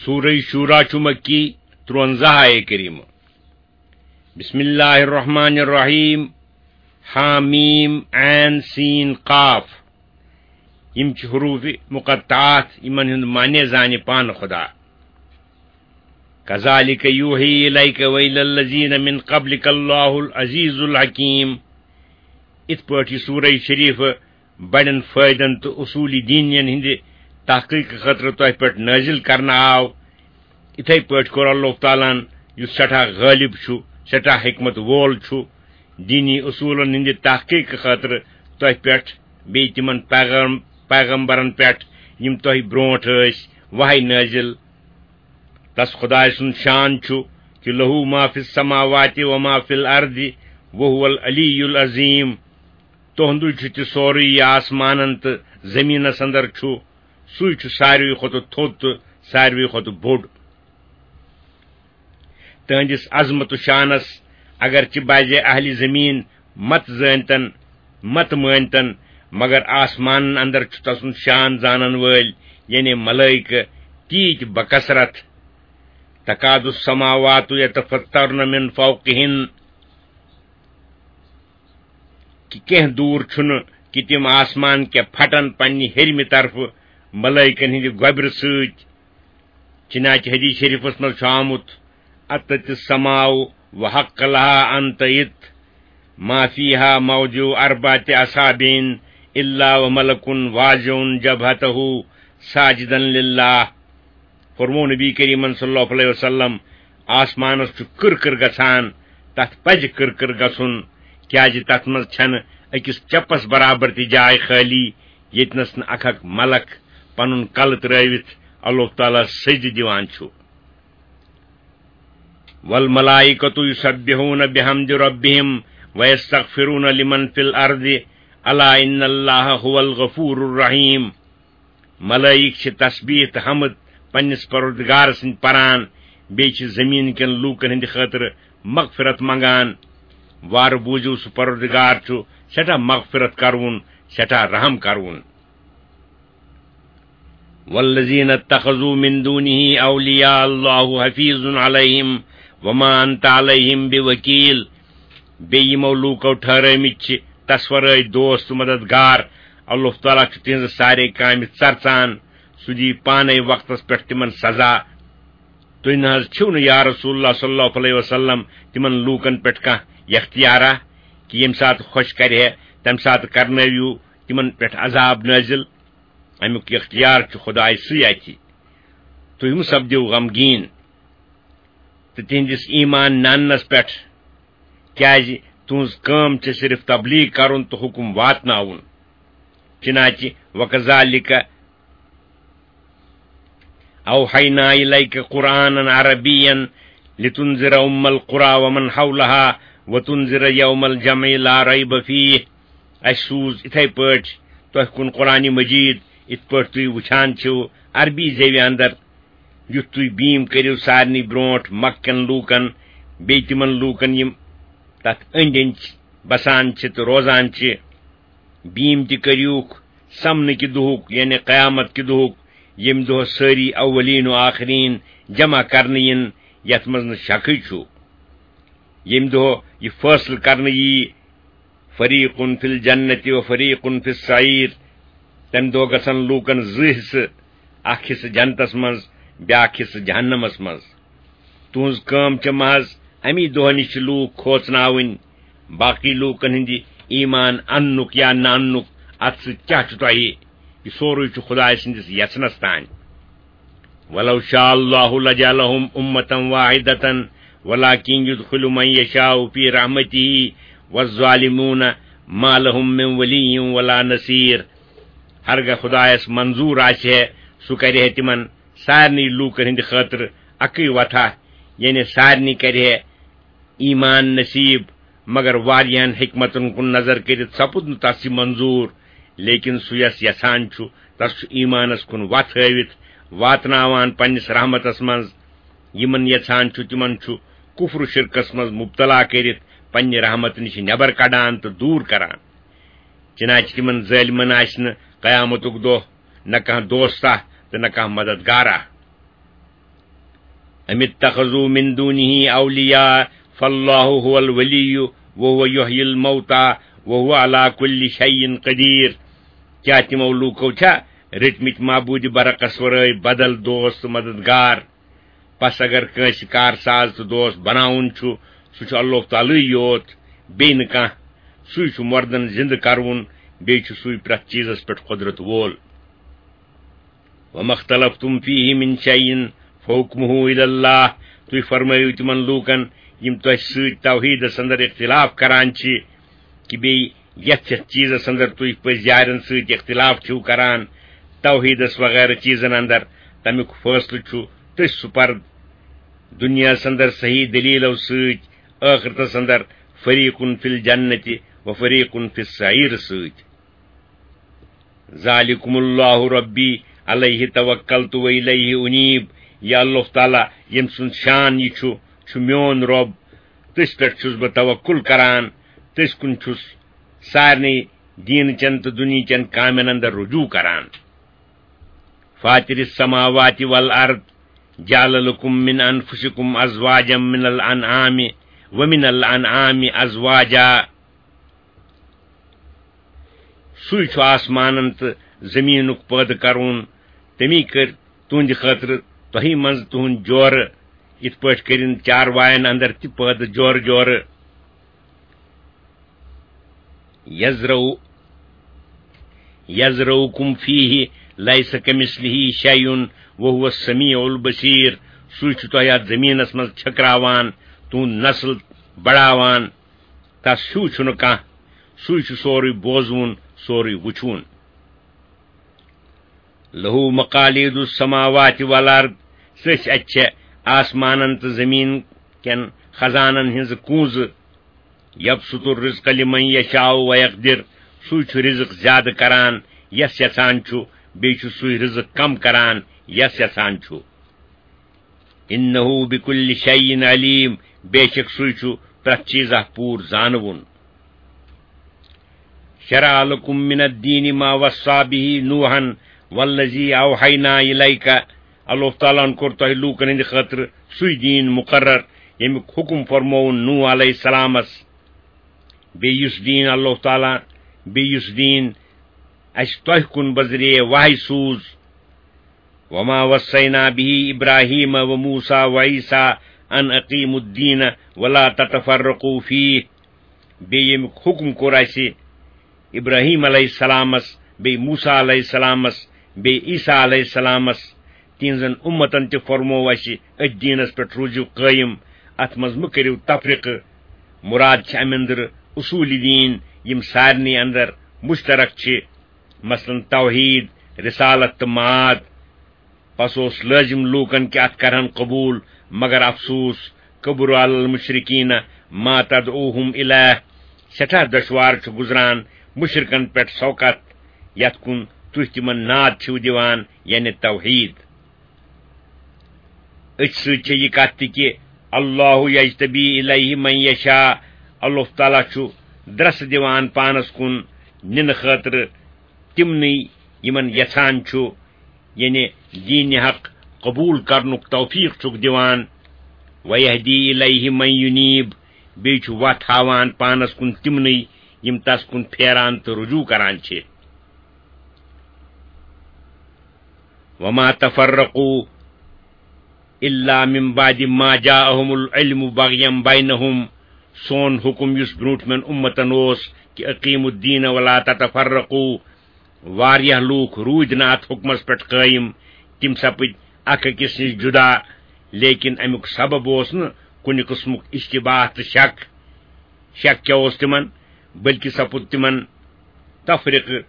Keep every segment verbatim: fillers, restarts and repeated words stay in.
سورہ شورا چھُ مکی، ترٛوَنزاہ آیے کریمہ۔ بسم اللہ الرحمن الرحیم۔ حامیم عین سین قاف۔ یِم چھِ حروف مقطعات، یِمن ہُنٛد معنی زانہِ پانہٕ خدا۔ کذالک یوحی الیک و الی الذین من قبلک اللہ العزیز الحکیم۔ اِتھ پٲٹھۍ یہِ سورہ شریف بڑٮ۪ن فٲیدن تہٕ اصولی دینین ہٕنٛدِ تحقیق خٲطرٕ تۄہہِ پٮ۪ٹھ نٲزِل کرنہٕ آو، اِتھے پٲٹھۍ کوٚر اللہ تعالیٰ ہن، یُس سٮ۪ٹھاہ غٲلب چھُ، سٮ۪ٹھاہ حکمت وول چھُ، دینی اصوٗلن ہٕنٛدِ تحقیق خٲطرٕ تۄہہِ پٮ۪ٹھ بیٚیہِ تِمن پیغام-، پیغمبرن پٮ۪ٹھ، یِم تۄہہِ برونٛٹھ ٲسۍ، وحی نٲزِل۔ تس خدایہِ سُنٛد شان چھُ کہِ لہو ما فی السماوات و ما فی الارض وہو العلی العظیم۔ تُہُنٛدُے چھُ تہِ سورُے یہِ آسمانن تہٕ زٔمیٖنس اندر چھُ، سُے چھُ ساروی کھۄتہٕ تھوٚد تہٕ ساروی کھۄتہٕ بوٚڑ۔ تہنٛدِس عظمت و شانس اگرچہِ بعضے اہلِ زمیٖن مت زٲنتن، مت مٲنتن، مگر آسمانن اندر چھُ تسُنٛد شان زانن وٲلۍ، یعنی ملائکہ، تیٖتۍ بکثرت۔ تکاد السماوات یتفطرن من فوقہن۔ کہِ کینٛہہ دوٗر چھُنہٕ کہِ تِم آسمان کیٛاہ پھٹن پننہِ ہیٚرمہِ طرفہٕ ملائکن ہٕنٛدِ گۄبرٕ سۭتۍ۔ چنانچہ حدیث شریفس منٛز چھُ آمُت، اتت السماء وحق لها ان تئت، ما فیها موضع اربعة اصابع الا وملک واضع جبهته ساجدا لله۔ فرموو نبی کریمن صلی اللہ علیہ وسلم، آسمانس چھُ کٕر کٕر گژھان، تتھ پزِ کٕر کٕر گژھُن، کیازِ تتھ منٛز چھنہٕ أکِس چپس برابر تہِ جاے خٲلی، ییٚتنس نہٕ اکھ اکھ ملک پنُن کلہٕ ترٲوِتھ اللہ تعالیٰ سجدٕ دِوان چھُ۔ والملائکۃ یسبحون بحمد ربہم ویستغفرون لمن فی الارض الا ان اللہ هو الغفور الرحیم۔ ملائک چھِ تسبیح تہٕ حمد پننِس پروردگار سٕنٛدۍ پران، بیٚیہِ چھِ زمین کٮ۪ن لوٗکن ہٕنٛدِ خٲطرٕ مغفرت منگان۔ وارٕ بوٗزِو، سُہ پروردگار چھُ سٮ۪ٹھاہ مغفرت کرون، سٮ۪ٹھاہ رحم کرون۔ والذین اتخذوا من دونه اولیاء اللہ حفیظ علیہم وما انت علیہم بوکیل۔ بیٚیہِ یِمو لوٗکو ٹھہرٲومٕتۍ چھِ تصورٲوۍ دوست تہٕ مددگار، اللہ تعالیٰ چھُ تِہنٛزٕ سارے کامہِ ژرژان، سُہ دِیہِ پانے وقتس پٮ۪ٹھ تِمن سزا۔ تُہۍ نہ حظ چھِو نہٕ یا رسول اللہ صلی اللہ علیہ وسلم تِمن لوٗکن پٮ۪ٹھ کانٛہہ اختیارا کہِ ییٚمہِ ساتہٕ خۄش کرِ ہے تمہِ ساتہٕ کرنٲوِو تِمن پٮ۪ٹھ عذاب نٲزِل؟ امیُک اختیار چھُ خدایہِ سٕے اَتھِ۔ تُہۍ مہٕ سپدِو غمگیٖن تہٕ تِہنٛدِس ایمان نہ اننس پٮ۪ٹھ، کیازِ تُہنٛز کٲم چھِ صرف تبلیغ کرُن تہٕ حکم واتناوُن۔ چنانچہ وکذالک اوحینا الیک قرآنا عربیا لتنذر ام القری ومن حولها وتنذر یوم الجمع لا ریب فیہ۔ اسہِ سوٗز اِتھے پٲٹھۍ تۄہہِ کُن قرآن مجید، اِتھ پٲٹھۍ تُہۍ وٕچھان چھِو عربی زیوِ اندر، یُتھ تُہۍ بیٖم کٔرِو سارنٕے برونٛٹھ مکہ کٮ۪ن لوٗکن، بیٚیہِ تِمن لوٗکن یِم تتھ أنٛدۍ أنٛدۍ بسان چھِ تہٕ روزان چھِ۔ بیٖم تہِ کٔرِوکھ سمنہٕ کہِ دۄہُک، یعنی قیامت کہِ دۄہُک، ییٚمہِ دۄہ سٲری اولین و آخرین جمع کرنہٕ یِن، یتھ منٛز نہٕ شکٕے چھُ۔ ییٚمہِ دۄہ یہِ فٲصلہٕ کرنہٕ یِیہِ، فریق فی الجنت و فریق فی السعیر، تمہِ دۄہ گژھن لوٗکن زٕ حصہٕ، اکھ حصہٕ جنتس منٛز، بیاکھ حصہٕ جہنمس منٛز۔ تُہنٛز کٲم چھےٚ محض امی دۄہ نِش لوٗکھ کھوژناوٕنۍ۔ باقٕے لوٗکن ہٕنٛدِ ایمان اننُک یا نہ اننُک اتھ سۭتۍ کیٛاہ چھُ تۄہہِ؟ یہِ سورُے چھُ خدایہِ سٕنٛدِس یژھنس تانۍ۔ ولو شاء اللہ لجعلهم امة واحدة ولكن يدخل من يشاء في رحمته والظالمون ما لهم من ولي ولا نصير۔ ہرگاہ خدایس منظور آسہِ ہے، سُہ کرِ ہے تِمن سارنٕے لوٗکن ہٕنٛدِ خٲطرٕ اکٕے وتھا، یعنی سارنٕے کرِ ہے ایمان نصیب، مگر واریاہن حکمتن کُن نظر کٔرِتھ سپُد نہٕ تس یہِ منظور، لیکن سُہ یس یژھان چھُ، تس چھُ ایمانس کُن وتھ ہٲوِتھ واتناوان پننِس رحمتس منٛز۔ یِمن یژھان چھُ، تِمن چھُ کفر و شرکس منٛز مبتلا کٔرِتھ پننہِ رحمت نِش نٮ۪بر کڑان تہٕ دوٗر کران۔ چنانچہ تِمن ظٲلمن آسہِ نہٕ قیامتُک دۄہ نہ کانٛہہ دوستہ تہٕ نہ کانٛہہ مددگارہ۔ أم اتخذوا من دونه أولياء فالله هو الولي وهو يحيي الموتى وهو على كل شيء قدير۔ کیٛاہ تِمو لوٗکو چھا رٔٹمٕتۍ معبوٗدِ برعکس ورٲے بدل دوست تہٕ مددگار؟ پس اگر کٲنٛسہِ کارساز تہٕ دوست بناوُن چھُ، سُہ چھُ اللہ تعالیٰ یوت، بیٚیہِ نہٕ کانٛہہ۔ سُے چھُ مردن زِندٕ کرون، بیٚیہِ چھُ سُے پرٛٮ۪تھ چیٖزس پٮ۪ٹھ قۄدرت وول۔ وما اختلفتم فيه من شيء فحكمه إلى الله۔ تُہۍ فرمٲیِو تِمن لوٗکن، یِم تۄہہِ سۭتۍ توحیٖدس اندر اختلاف کران چھِ، کہِ بیٚیہِ یتھ یتھ چیٖزس اندر تُہۍ پٔزۍ یارن سۭتۍ اختلاف چھِو کران، توحیٖدس وغیرہ چیٖزن اندر، تمیُک فٲصلہٕ چھُ تٔتھۍ سپرد۔ دُنیاہس اندر صحیح دلیٖلو سۭتۍ، ٲخرتس اندر فریقٌ فی الجنة و فریقٌ فی السعیر سۭتۍ۔ ذالکم اللہ ربی علیہ توکلت و الیہ انیب۔ یا اللہ تعالیٰ، ییٚمۍ سُنٛد شان یہِ چھُ، چھُ میون رۄب۔ تٔسۍ پٮ۪ٹھ چھُس بہٕ توکل کران، تٔسۍ کُن چھُس سارنٕے دیٖنہٕ چٮ۪ن تہٕ دُنیہٕ چٮ۪ن کامٮ۪ن اندر رجوع کران۔ فاطر السماوات والارض، جعل لكم من انفسكم ازواجا من الانعام، ومن الانعام ازواجا۔ سُے چھُ آسمانن تہٕ زٔمیٖنُک پٲدٕ کرون۔ تٔمی کٔرۍ تُہنٛدِ خٲطرٕ تۄہہِ منٛز تُہنٛد جورٕ، یِتھ پٲٹھۍ کٔرِن چاروایَن اندر تہِ پٲدٕ جورٕ جورٕ۔ یزرو یزرؤکم فیہ لیس کمثلہ شیء وہو السمیع البصیر۔ سُے چھُ تۄہہِ اَتھ زٔمیٖنَس منٛز چھٔکراوان، تُہُنٛد نسل بڑاوان۔ تس ہیوٗ چھُنہٕ کانٛہہ، سُے چھُ سورُے بوزوُن، سورُے وُچھوُن۔ لہو مقالید السماوات والارض، سٕژ اَتہِ چھےٚ آسمانن تہٕ زٔمیٖن کٮ۪ن خزانن ہٕنٛزٕ کونٛزٕ۔ یبسط الرزق لمن یشاء ویقدر، سُے چھُ رزق زیادٕ کران یس یژھان چھُ، بیٚیہِ چھُ سُے رزق کم کران یس یژھان چھُ۔ انہ بکل شیء علیم، بے شک سُے چھُ پرٛٮ۪تھ چیٖزہ پوٗرٕ زانوُن۔ شرع لکم من الدین ما وصی بہ نوحا والذی اوحینا الیک، اللہ تعالیٰ ہن کوٚر تۄہہِ لوٗکن ہٕنٛدِ خٲطرٕ سُے دیٖن مُقرر، ییٚمیُک حُکم فرمووُن نوح علیہ السلامس۔ بیٚیہِ یُس دیٖن اللہ تعالیٰ، بیٚیہِ یُس دیٖن اَسہِ تۄہہِ کُن بذریعہ وحی سوٗز۔ وما وصینا بہ ابراہیم و موسیٰ و عیسیٰ ان اقیموا الدین ولا تتفرقوا فیہ۔ بیٚیہِ ییٚمیُک حُکم کوٚر اَسہِ ابراہیم علیہ السلامس، بیٚیہِ موسیٰ علیہ السلامس، بیٚیہِ عیسیٰ علیہ السلامس، تِہنٛزن اُمتن تہِ فرموو اَسہِ أتھۍ دیٖنس پٮ۪ٹھ روٗزِو قٲیِم، اتھ منٛز مہٕ کٔرِو تفرقہٕ۔ مُراد چھِ اَمہِ اندرٕ اصوٗلِ دیٖن، یِم سارنٕے اندر مُشترک چھِ، مثلاً توحیٖد، رسالت تہٕ معاد۔ پس اوس لٲزِم لوٗکن کہِ اتھ کرہن قبوٗل، مگر افسوس، کبر علی المشرکین ما تدعوہم الیہ۔ سٮ۪ٹھاہ دۄشوار چھُ گُزران مُشرکن پٮ۪ٹھ سۄ کتھ، یتھ کُن تُہۍ تِمن ناد چھِو دِوان، یعنی توحیٖد۔ أتھۍ سۭتۍ چھےٚ یہِ کتھ تہِ کہِ اللہ یجتبی الیہ من یشاء، اللہ تعالیٰ چھُ درسہٕ دِوان پانس کُن نِنہٕ خٲطرٕ تِمنٕے یِمن یژھان چھُ، یعنی دین حق قبول کرنُک توفیق چھُکھ دِوان۔ ویہدی الیہ من ینیب، بیٚیہِ چھُ وتھ ہاوان پانس کُن تِمنٕے یِم تس کُن پھیران تہٕ رجوع کران چھِ۔ وما تفرقوا الا من بعد ما جاءهم العلم بغیا بینہم۔ سون حُکم یُس برٛونٛٹھمٮ۪ن اُمتن اوس کہِ اقیموا الدین ولا تتفرقوا، واریاہ لوٗکھ روٗدۍ نہٕ اتھ حُکمس پٮ۪ٹھ قٲیِم، تِم سپٕدۍ اکھ أکِس نِش جُدا، لیکن امیُک سبب اوس نہٕ کُنہِ قٕسمُک اشتباہ تہٕ شک۔ شک کیٛاہ اوس تِمن؟ بلکہِ سپُد تِمن تفرقہٕ،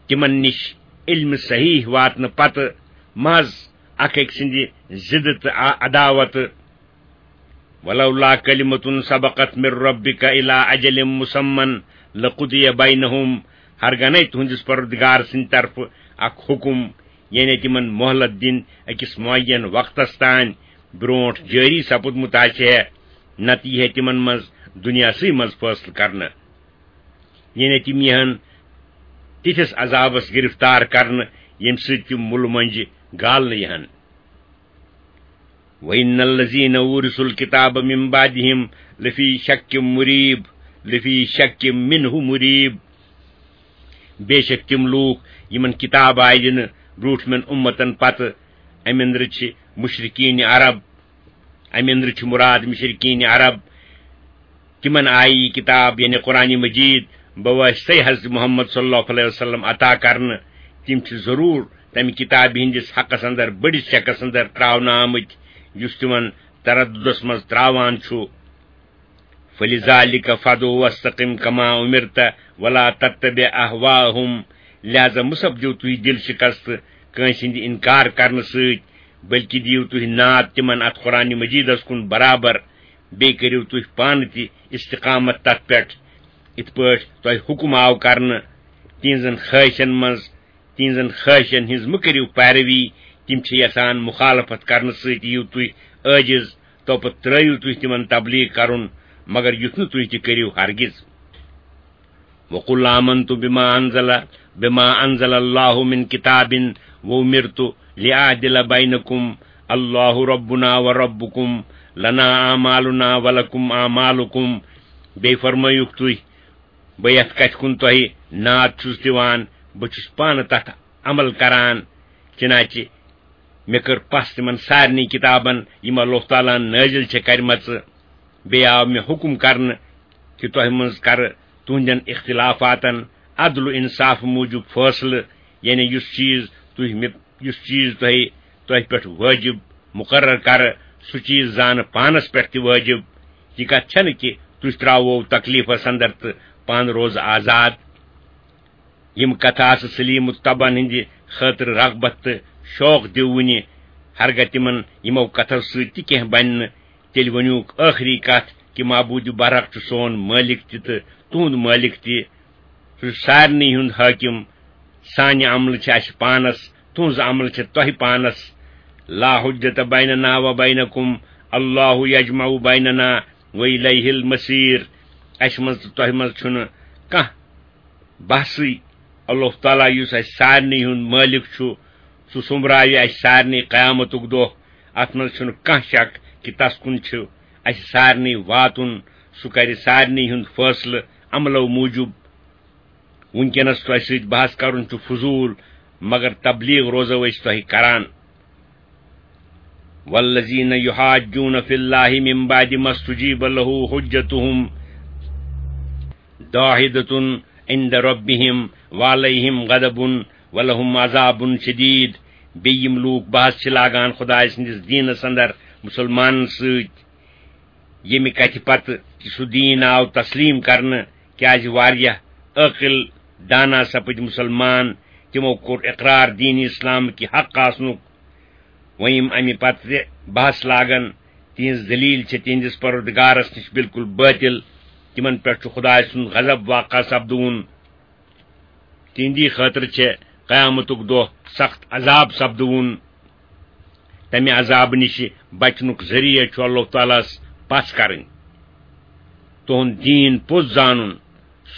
تِمن نِش علمِ صحیح واتنہٕ پتہٕ محض اکھ أکۍ سٕنٛدِ ضِدٕ تہٕ ع-، عداوتہٕ۔ ولولا کلمة سبقت من ربک الی اجل مسمی لقضی بینہم، ہرگنے تُہنٛدِس پروردگار سٕنٛدِ طرفہٕ اکھ حُکم، یعنی تِمن مۄہلت دِنۍ أکِس معین وقتس تام، برٛونٛٹھ جٲری سپُدمُت آسہِ ہے، نتہٕ یی ہے تِمن منٛز دُنیاہسٕے منٛز فٲصلہٕ کرنہٕ۔ یعنی تِم یِہن تِتھِس عذابس گرفتار کرنہٕ، ییٚمہِ سۭتۍ تِم مُلہٕ مۄنجہِ گالنہٕ یِہن۔ وَإِنَّ الَّذِينَ أُورِثُوا الْكِتَابَ مِنْ بَعْدِهِمْ لَفِي شَكٍّ مُرِيبٍ، لَفِي شَكٍّ مِنْهُ مُرِيبٍ۔ بے شک تِم لوٗکھ یِمن کِتاب آیہِ دِنہٕ برٛونٛٹھمٮ۪ن اُمتن پتہٕ، اَمہِ أنٛدرٕ چھِ مُشرِکیٖنِ عرب، اَمہِ أنٛدرٕ چھِ مُراد مُشرِکیٖنِ عرب، تِمن آیہِ یہِ کِتاب، یعنی قرآنِ مجیٖد، بواسطے حضرت محمد صلی اللہ علیہ وسلم عطا کرنہٕ۔ تِم چھِ ضروٗر تَمہِ کِتابہِ ہٕنٛدِس حقس اندر، بٔڑِس شکس اندر ترٛاونہٕ آمٕتۍ، یُس تِمن تردُدس منٛز ترٛاوان چھُ۔ فَلِذَٰلِكَ فَادْعُ وَاسْتَقِمْ كَمَا أُمِرْتَ وَلَا تَتَّبِعْ أَهْوَاءَهُمْ۔ لہذا مہ سپدِو تُہۍ دِل شکست کٲنٛسہِ ہٕنٛدِ اِنکار کرنہٕ سۭتۍ، بلکہِ دِیِو تُہۍ ناد تِمن اتھ قرآنِ مجیٖدس کُن برابر، بیٚیہِ کٔرِو تُہۍ پانہٕ تہِ استقامت تتھ پٮ۪ٹھ، یِتھ پٲٹھۍ تۄہہِ حُکم آو کرنہٕ۔ تِہنٛزن خٲہشن منٛز، تِہنٛزن خٲہشن ہٕنٛز مہ کٔرِو پیروی، تِم چھِ یژھان مخالفت کرنہٕ سۭتۍ یِیِو تُہۍ عٲجز، تو پتہٕ ترٲیِو تُہۍ تِمن تبلیغ کرُن، مگر یُتھ نہٕ تُہۍ تہِ کٔرِو ہرگز۔ وَقُلْ آمَنْتُ بِمَا أَنزَلَ، بِمَا أَنزَلَ اللَّهُ مِنْ كِتَابٍ وَأُمِرْتُ لِأَعْدِلَ بَيْنَكُمْ، اللَّهُ رَبُّنَا وَرَبُّكُمْ، لَنَا أَعْمَالُنَا وَلَكُمْ أَعْمَالُكُمْ۔ بیٚیہِ فرمٲیِکھ تُہۍ، بہٕ یَتھ کَتھِ کُن تۄہہِ ناد چھُس دِوان، بہٕ چھُس پانہٕ تَتھ عمل کران۔ چنانچہ مےٚ کٔر پَژھ تِمن سارنٕے کِتابن، یِم اللہ تعالیٰ ہن نٲزِل چھےٚ کرِمژٕ۔ بیٚیہِ آو مےٚ حُکم کرنہٕ کہِ تۄہہِ منٛز کرٕ تُہنٛدٮ۪ن اختلافاتن عدل و انصاف موٗجوٗب فٲصلہٕ، یعنی یُس چیٖز تُہۍ مےٚ، یُس چیٖز تۄہہِ، تۄہہِ پٮ۪ٹھ وٲجِب مُقرر کرٕ، سُہ چیٖز زانہٕ پانس پٮ۪ٹھ تہِ وٲجِب۔ یہِ کتھ چھنہٕ کہِ تُہۍ ترٛاوو تکلیفس اندر تہٕ پانہٕ روزٕ آزاد۔ یِم کتھٕ آسہٕ سلیم الطبعن ہٕنٛدِ خٲطرٕ رغبت تہٕ شوق دِوٕنہِ۔ ہرگاہ تِمن یِمو کتھو سۭتۍ تہِ کینٛہہ بنہِ نہٕ، تیٚلہِ ؤنِوُکھ ٲخری کتھ کہِ معبوٗدِ برحق چھُ سون مٲلِک تہِ تہٕ تُہُنٛد مٲلِک تہِ۔ سُہ چھُ سارنٕے ہُنٛد حٲکِم۔ سانہِ عملہٕ چھِ اَسہِ پانس، تُہٕنٛز عملہٕ چھِ تۄہہِ پانس۔ لا حجت بیننا و بینکم، اللہ یجمع بیننا و الیہ المصیر۔ اَسہِ منٛز تہٕ تۄہہِ منٛز چھُنہٕ کانٛہہ بحثٕے۔ اللہ تعالیٰ یُس اَسہِ سارنٕے ہُنٛد مٲلِک چھُ، سُہ سوٚمبراوِ اَسہِ سارنٕے قیامتُک دۄہ۔ اَتھ منٛز چھُنہٕ کانٛہہ شک کہِ تَس کُن چھُ اَسہِ سارنٕے واتُن۔ سُہ کَرِ سارنٕے ہُنٛد فٲصلہٕ عملو موٗجوٗب۔ وٕنکیٚنَس تۄہہِ سۭتۍ بحث کَرُن چھُ فضوٗل، مگر تبلیغ روزو أسۍ تۄہہِ کران۔ والذین یحاجون فی اللہ من بعد ما استجیب لہ حجتہم داحضۃ عند ربہم وعلیہم غضب ولہم عذاب شدید۔ بیٚیہِ یِم لوٗکھ بحث چھِ لاگان خدایہِ سٕنٛدِس دیٖنَس اندر مُسلمانَن سۭتۍ، ییٚمہِ کتھِ پتہٕ کہِ سُہ دیٖن آو تسلیٖم کرنہٕ، کیازِ واریاہ عٲقل دانا سپٕدۍ مُسلمان، تِمو کوٚر اقرار دیٖن اسلام کہِ حق آسنُک۔ وۄنۍ یِم امہِ پتہٕ تہِ بحث لاگن، تِہنٛز دلیل چھِ تِہنٛدِس پروردگارس نِش بالکل باطل۔ تِمن پٮ۪ٹھ چھُ خدایہِ سُنٛد غضب واقع سپدوُن۔ تِہنٛدی خٲطرٕ چھِ قیامتُک دۄہ سخت عذاب سپدوُن۔ تمہِ عذابہٕ نِش بچنُک ذٔریعہٕ چھُ اللہ تعالیٰ ہس پژھ کرٕنۍ۔ تُہُنٛد دیٖن پوٚز زانُن،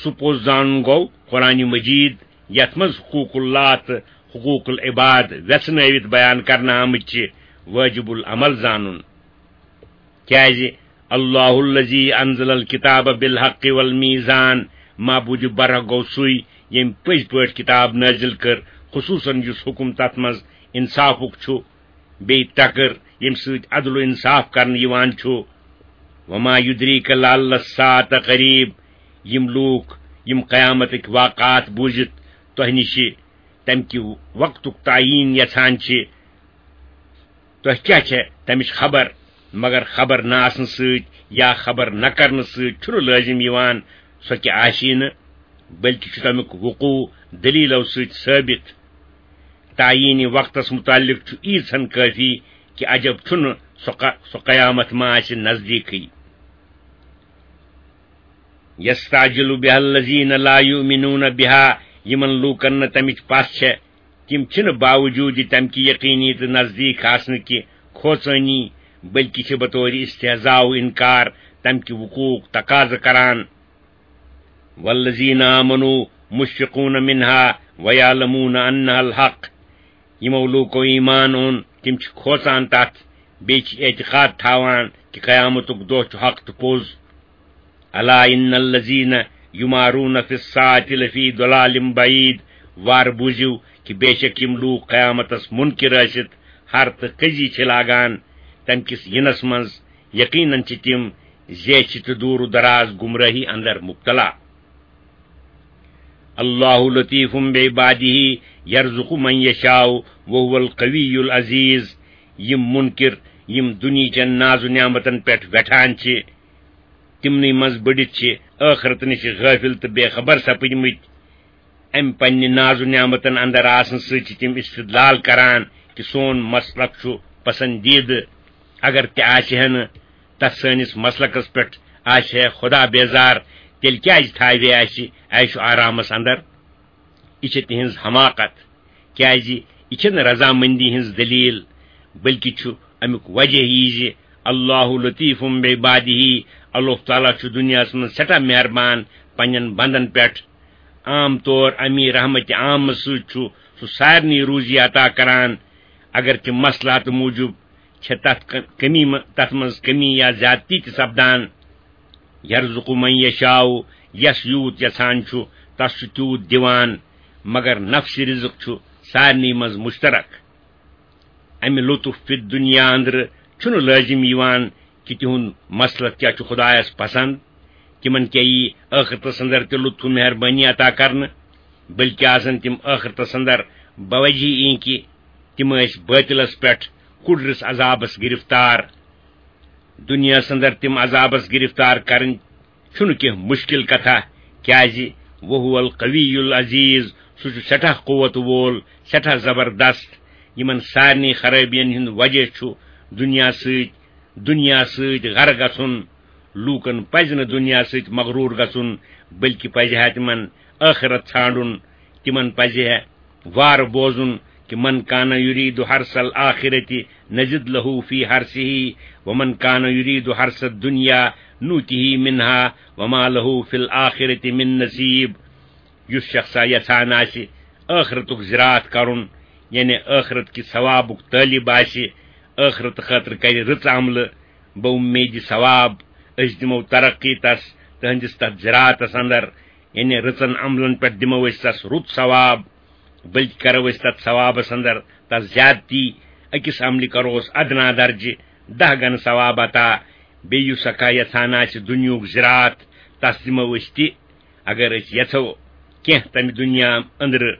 سُہ پوٚز زانُن گوٚو قرآن مجید، یتھ منٛز حقوق اللہ تہٕ حقوق العباد ویژھنٲوِتھ بیان کرنہٕ آمٕتۍ چھِ، واجب العمل زانُن۔ کیازِ اللہ الذی انزل الکتاب بالحق والمیزان، معبود برحق گوٚو سُے، ییٚمۍ پٔزۍ پٲٹھۍ کتاب نٲزِل کٔر، خصوصاً یُس حکم تتھ منٛز انصافُک چھُ، بیٚیہِ تکر، ییٚمہِ سۭتۍ عدل و انصاف کرنہٕ یِوان چھُ۔ وما یدریک لعل الساعة قریب، یِم لوٗکھ یِم قیامتٕکۍ واقعات بوٗزِتھ تۄہہِ نِش تمہِ کہِ وقتُک تعیین یژھان چھِ، تۄہہِ کیٛاہ چھےٚ تمِچ خبر؟ مگر خبر نہ آسنہٕ سۭتۍ یا خبر نہ کرنہٕ سۭتۍ چھُنہٕ لٲزِم یِوان سۄ کہِ آسی نہٕ، بلکہِ چھُ تمیُک وقوع دلیلو سۭتۍ ثٲبت۔ تعیین وقتس متعلق چھُ ییٖژ ہن کٲفی کہِ عجب چھُنہٕ سۄ ق-، سۄ قیامت ما آسہِ نزدیٖکھٕے۔ یستعجل بها الذین لا یؤمنون بها، یِمن لوٗکن نہٕ تمِچ پژھ چھےٚ، تِم چھِنہٕ باوجوٗد تمہِ کہِ یقینی تہٕ نزدیٖک آسنہٕ کہِ کھوژٲنی، بلکہِ چھِ بطور استہزاء و انکار تمہِ کہِ وقوعُک تقاضہٕ کران۔ والذین آمنوا مشفقون منها ویعلمون انها الحق، یِمو لوٗکو ایمان اوٚن، تِم چھِ کھوژان تتھ، بیٚیہِ چھِ اعتقاد تھاوان کہِ قیامتُک دۄہ چھُ حق تہٕ پوٚز۔ الا ان الذین یمارون فی الساعۃ لفی ضلال بعید۔ وار بوٗزِو کہِ بے شک یِم لوٗکھ قیامتس منکر ٲسِتھ ہر تہٕ کٔزی چھِ لاگان، تمہِ کِس یِنس منٛز یقیناً چھِ تِم زیچھِ تہٕ دوٗر و دراز گمراہی اندر مبتلا۔ اللہ لطیف بعبادہ یرزق من یشاء وهو القوی العزیز۔ یِم منکر، یِم دُنیہٕچٮ۪ن ناز و نعمتن پٮ۪ٹھ وٮ۪ٹھان چھِ، تِمنٕے منٛز بٔڑِتھ چھِ ٲخرت نِش غٲفِل تہٕ بے خبر سپٕدمٕتۍ۔ امہِ پننہِ ناز و نعمتن اندر آسنہٕ سۭتۍ چھِ تِم استدلال کران کہِ سون مسلک چھُ پسندیدٕ۔ اگر تہِ آسہِ ہے نہٕ تتھ سٲنِس مسلکس پٮ۪ٹھ آسہِ ہے خدا بیزار، تیٚلہِ کیازِ تھاوِ ہے اسہِ عیش و آرامس اندر؟ یہِ چھِ تِہنٛز حماقت، کیازِ یہِ چھنہٕ رضامندی ہٕنٛز دلیل، بلکہِ چھُ امیُک وجہ یہِ زِ اللہ لطیف بعبادہ، اللہ تعالیٰ چھُ دُنیاہس منٛز سٮ۪ٹھاہ مہربان پننٮ۪ن بندن پٮ۪ٹھ۔ عام طور امی رحمت عامس سۭتۍ چھُ سُہ سارنٕے روزی عطا کران، اگرچہِ مصلحت موٗجوٗب چھےٚ تتھ ک-، کمی م-، تتھ منٛز کمی یا زیادتی تہِ سپدان۔ یرزق من یشاء، یس یوٗت یژھان چھُ، تس چھُ تیوٗت دِوان، مگر نفس رزق چھُ سارنٕے منٛز مشترک۔ امہِ لطف فی الدنیا اندرٕ چھُنہٕ لٲزم یِوان کہِ تِہُنٛد مسلک کیٛاہ چھُ خدایس پسند، تِمن کیٛاہ یی ٲخرتس اندر تہِ لطف و مہربٲنی عطا کرنہٕ، بلکہِ آسن تِم ٲخرتس اندر بوجہی اِنکہِ تِم ٲسۍ باطلس پٮ۪ٹھ کُڑرِس عذابس گرفتار۔ دُنیاہس اندر تِم عذابس گرفتار کرٕنۍ چھُنہٕ کینٛہہ مُشکِل کتھا، کیازِ وہو القوی العزیز، سُہ چھُ سٮ۪ٹھاہ قوت وول، سٮ۪ٹھاہ زبردست۔ یِمن سارنٕے خرٲبین ہُنٛد وجہ چھُ دُنیا سۭتۍ، دُنیا سۭتۍ غرق گژھُن۔ لوٗکن پزِ نہٕ دُنیا سۭتۍ مغروٗر گژھُن، بلکہِ پزِ ہا تِمن ٲخرت ژھانڈُن۔ تِمن پزِ ہا وار بوزُن کہِ من کان یرید حرث الآخرۃ نزد لہ فی حرثہ ومن کان یرید حرث الدنیا نؤتہ منہا وما لہ فی الآخرۃ من نصیب۔ یُس شخصا یژھان آسہِ ٲخرتُک زراعت کرُن، یعنی ٲخرت کہِ ثوابُک طٲلب آسہِ، ٲخرت خٲطرٕ کرِ رٕژ عملہٕ، بہ اُمید ثواب، أسۍ دِمو ترقی تس تہنٛدِس تتھ زراعتس اندر، یعنی رٕژن عملن پٮ۪ٹھ دِمو أسۍ تس رُت ثواب، بلکہِ کرو أسۍ تتھ ثوابس اندر تس زیادتی، أکِس عملہِ کروس ادنا درجہِ دہ گنہٕ ثواب عطا۔ بیٚیہِ یُس سا کانٛہہ یژھان آسہِ دُنیہُک زراعت، تس دِمو أسۍ تہِ، اگر أسۍ یژھو کینٛہہ تمہِ دُنیا أنٛدرٕ،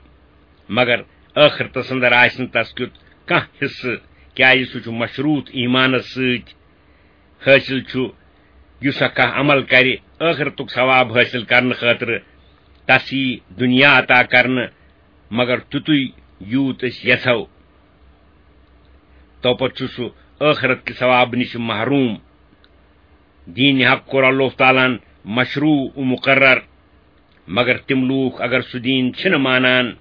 مگر ٲخرتس اندر آسہِ نہٕ تس کیُتھ کانٛہہ حصہٕ، کیازِ سُہ چھُ مشروط ایمانس سۭتۍ۔ حٲصِل چھُ، یُس سا کانٛہہ عمل کرِ ٲخرتُک ثواب حٲصِل کرنہٕ خٲطرٕ، تس یی دُنیا عطا کرنہٕ، مگر تیُتُے یوٗت أسۍ یژھو۔ تو پتہٕ چھُ سُہ ٲخرت کہِ ثواب نِش محروم۔ دین حق کوٚر اللہ تعالیٰ ہن مشروع و مقرر، مگر تِم لوٗکھ اگر سُہ دین چھِنہٕ مانان،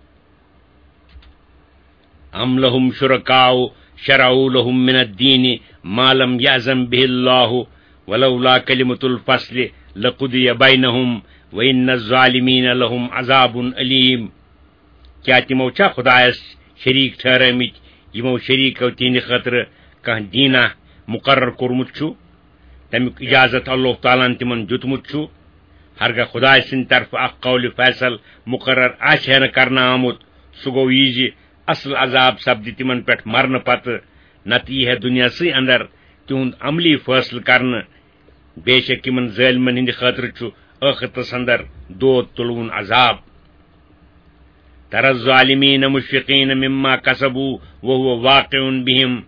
ام لهم شرکاء شرعوا لهم من الدین ما لم یأذن به اللہ ولولا کلمة الفصل لقضی بینهم وان الظالمین لهم عذاب علیم۔ کیٛاہ تِمو چھا خدایس شریٖک ٹھہرٲومٕتۍ، یِمو شریٖکو تِہنٛدِ خٲطرٕ کانٛہہ دیٖنہ مُقرر کوٚرمُت چھُ؟ تَمیُک اِجازت اللہ تعالیٰ ہن تِمن دیُتمُت چھُ۔ ہرگاہ خدایہِ سٕنٛدِ طرفہٕ اکھ قول فیصل مُقرر آسہِ ہے نہٕ کرنہٕ آمُت، سُہ گوٚو یہِ زِ اصل عذاب سپدِ تِمن پٮ۪ٹھ مرنہٕ پتہٕ، نتہٕ یی ہے دُنیاہسٕے اندر تِہُنٛد عملی فٲصلہٕ کرنہٕ۔ بے شک یِمن ظٲلمن ہٕنٛدِ خٲطرٕ چھُ ٲخرتس اندر دود تُلوُن عذاب۔ ترى الظالمين مشفقين مما كسبوا وهو واقع بهم۔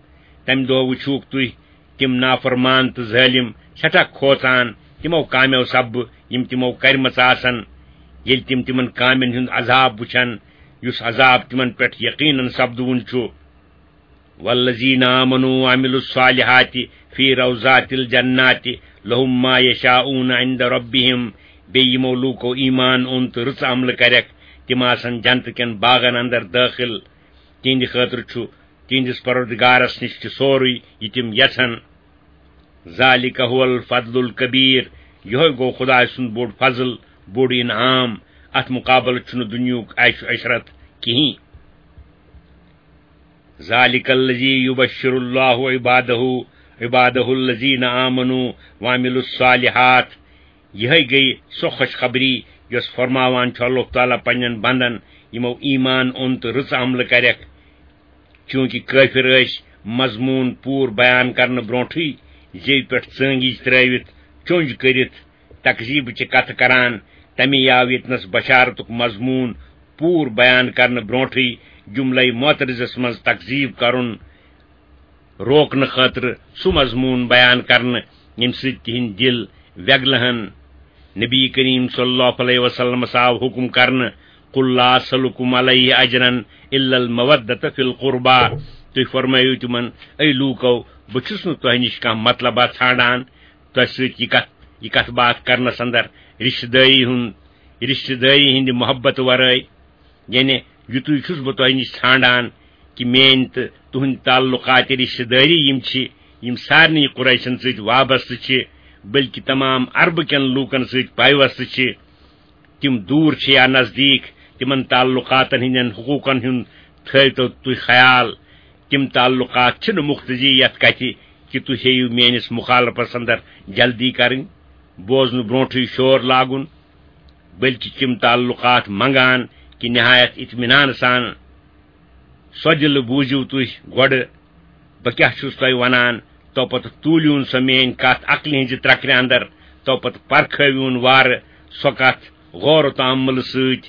تمہِ دۄہ وٕچھوکھ تُہۍ تِم نافرمان تہٕ ظٲلم سٮ۪ٹھاہ کھوژان تِمو کامیو سببہٕ یِم تِمو کرِمژٕ آسن، ییٚلہِ تِم تِمن کامٮ۪ن ہُنٛد عذاب وٕچھن، یُس عذاب تِمن پٮ۪ٹھ یقیناً سپدوُن چھُ۔ والذين آمنوا وعملوا الصالحات في روضات الجنات لهم ما يشاءون عند ربهم۔ بیٚیہِ یِمو لوٗکو ایمان اوٚن تہٕ رٕژ عملہٕ کرٮ۪کھ، تِم آسن جنتہٕ کٮ۪ن باغن اندر دٲخل۔ تِہنٛدِ خٲطرٕ چھُ تِہنٛدِس پروردگارس نِش تہِ سورُے یہِ تِم یژھن۔ ذلك هو الفضل الكبير۔ یِہوٚے گوٚو خدایہِ سُنٛد بوٚڑ فضل، بوٚڑ انعام۔ اتھ مُقابلہٕ چھُنہٕ دُنیہُک عیش و عشرت کِہیٖنۍ۔ ذلك الذي يبشر الله عباده عبادہ الذین آمنوا وعملوا الصالحات۔ یہے گٔے سۄ خوشخبری یۄس فرماوان چھُ اللہ تعالیٰ پننٮ۪ن بندن، یِمو ایمان اوٚن تہٕ رٕژ عملہٕ کرٮ۪کھ۔ چونکہ کٲفر ٲسۍ مضموٗن پوٗرٕ بیان کرنہٕ برونٹھٕے زیوِ پٮ۪ٹھ ژٲنگِج ترٲوِتھ، چونج کٔرِتھ، تکذیٖبٕچہِ کتھٕ کران، تمے آو ییٚتنس بشارتُک مضموٗن پوٗرٕ بیان کرنہٕ برونٹھٕے جملے معترضس منٛز تکذیٖب کرُن روکنہٕ خٲطرٕ سُہ مضموٗن بیان کرنہٕ، ییٚمہِ سۭتۍ تِہنٛدۍ دِل وٮ۪گلہٕ ہن۔ نبی کریم صلی اللہ علیہ وسلمس آو حکم کرنہٕ، "قل لا اسألکم علیہ اجرا الا المودۃ فی القربی"۔ تُہۍ فرمٲیِو تِمن، "اے لوٗکو، بہٕ چھُس نہٕ تۄہہِ نِش کانٛہہ مطلبہ ژھانڈان، تۄہہِ سۭتۍ یہِ کتھ، یہِ کتھ باتھ کرنس اندر رشتہٕ دٲری ہُنٛد، رشتہٕ دٲری ہٕنٛدِ محبت ورٲے۔" یعنی یُتُے چھُس بہٕ تۄہہِ نِش ژھانڈان کہِ میٲنۍ تہٕ تُہٕنٛدۍ تعلقات رشتہٕ دٲری یِم چھِ، یِم سارنٕے قریشن سۭتۍ وابستہٕ چھِ، بلکہِ تمام عربہٕ کٮ۪ن لوٗکن سۭتۍ پیوستہٕ چھِ۔ تِم دوٗر چھِ یا نزدیٖک، تِمن تعلقاتن ہٕنٛدٮ۪ن حقوٗقن ہُنٛد تھٲوتو تُہۍ خیال۔ تِم تعلقات چھِنہٕ مُختزی یتھ کتھِ کہِ تُہۍ ہیٚیِو میٲنِس مخالفس اندر جلدی کرٕنۍ، بوزنہٕ برونٹھٕے شور لاگُن، بلکہِ تِم تعلقات منگان کہِ نہایت اطمینان سان۔ سۄ دِلہٕ بوٗزِو تُہۍ گۄڈٕ، بہٕ کیٛاہ چھُس تۄہہِ وَنان، تو پتہٕ توٗلِوُن سۄ میٲنۍ کتھ عقلہِ ہٕنٛزِ ترکرِ اندر، تو پتہٕ پرکھٲوِوُن وارٕ سۄ کتھ غور و تامل سۭتۍ،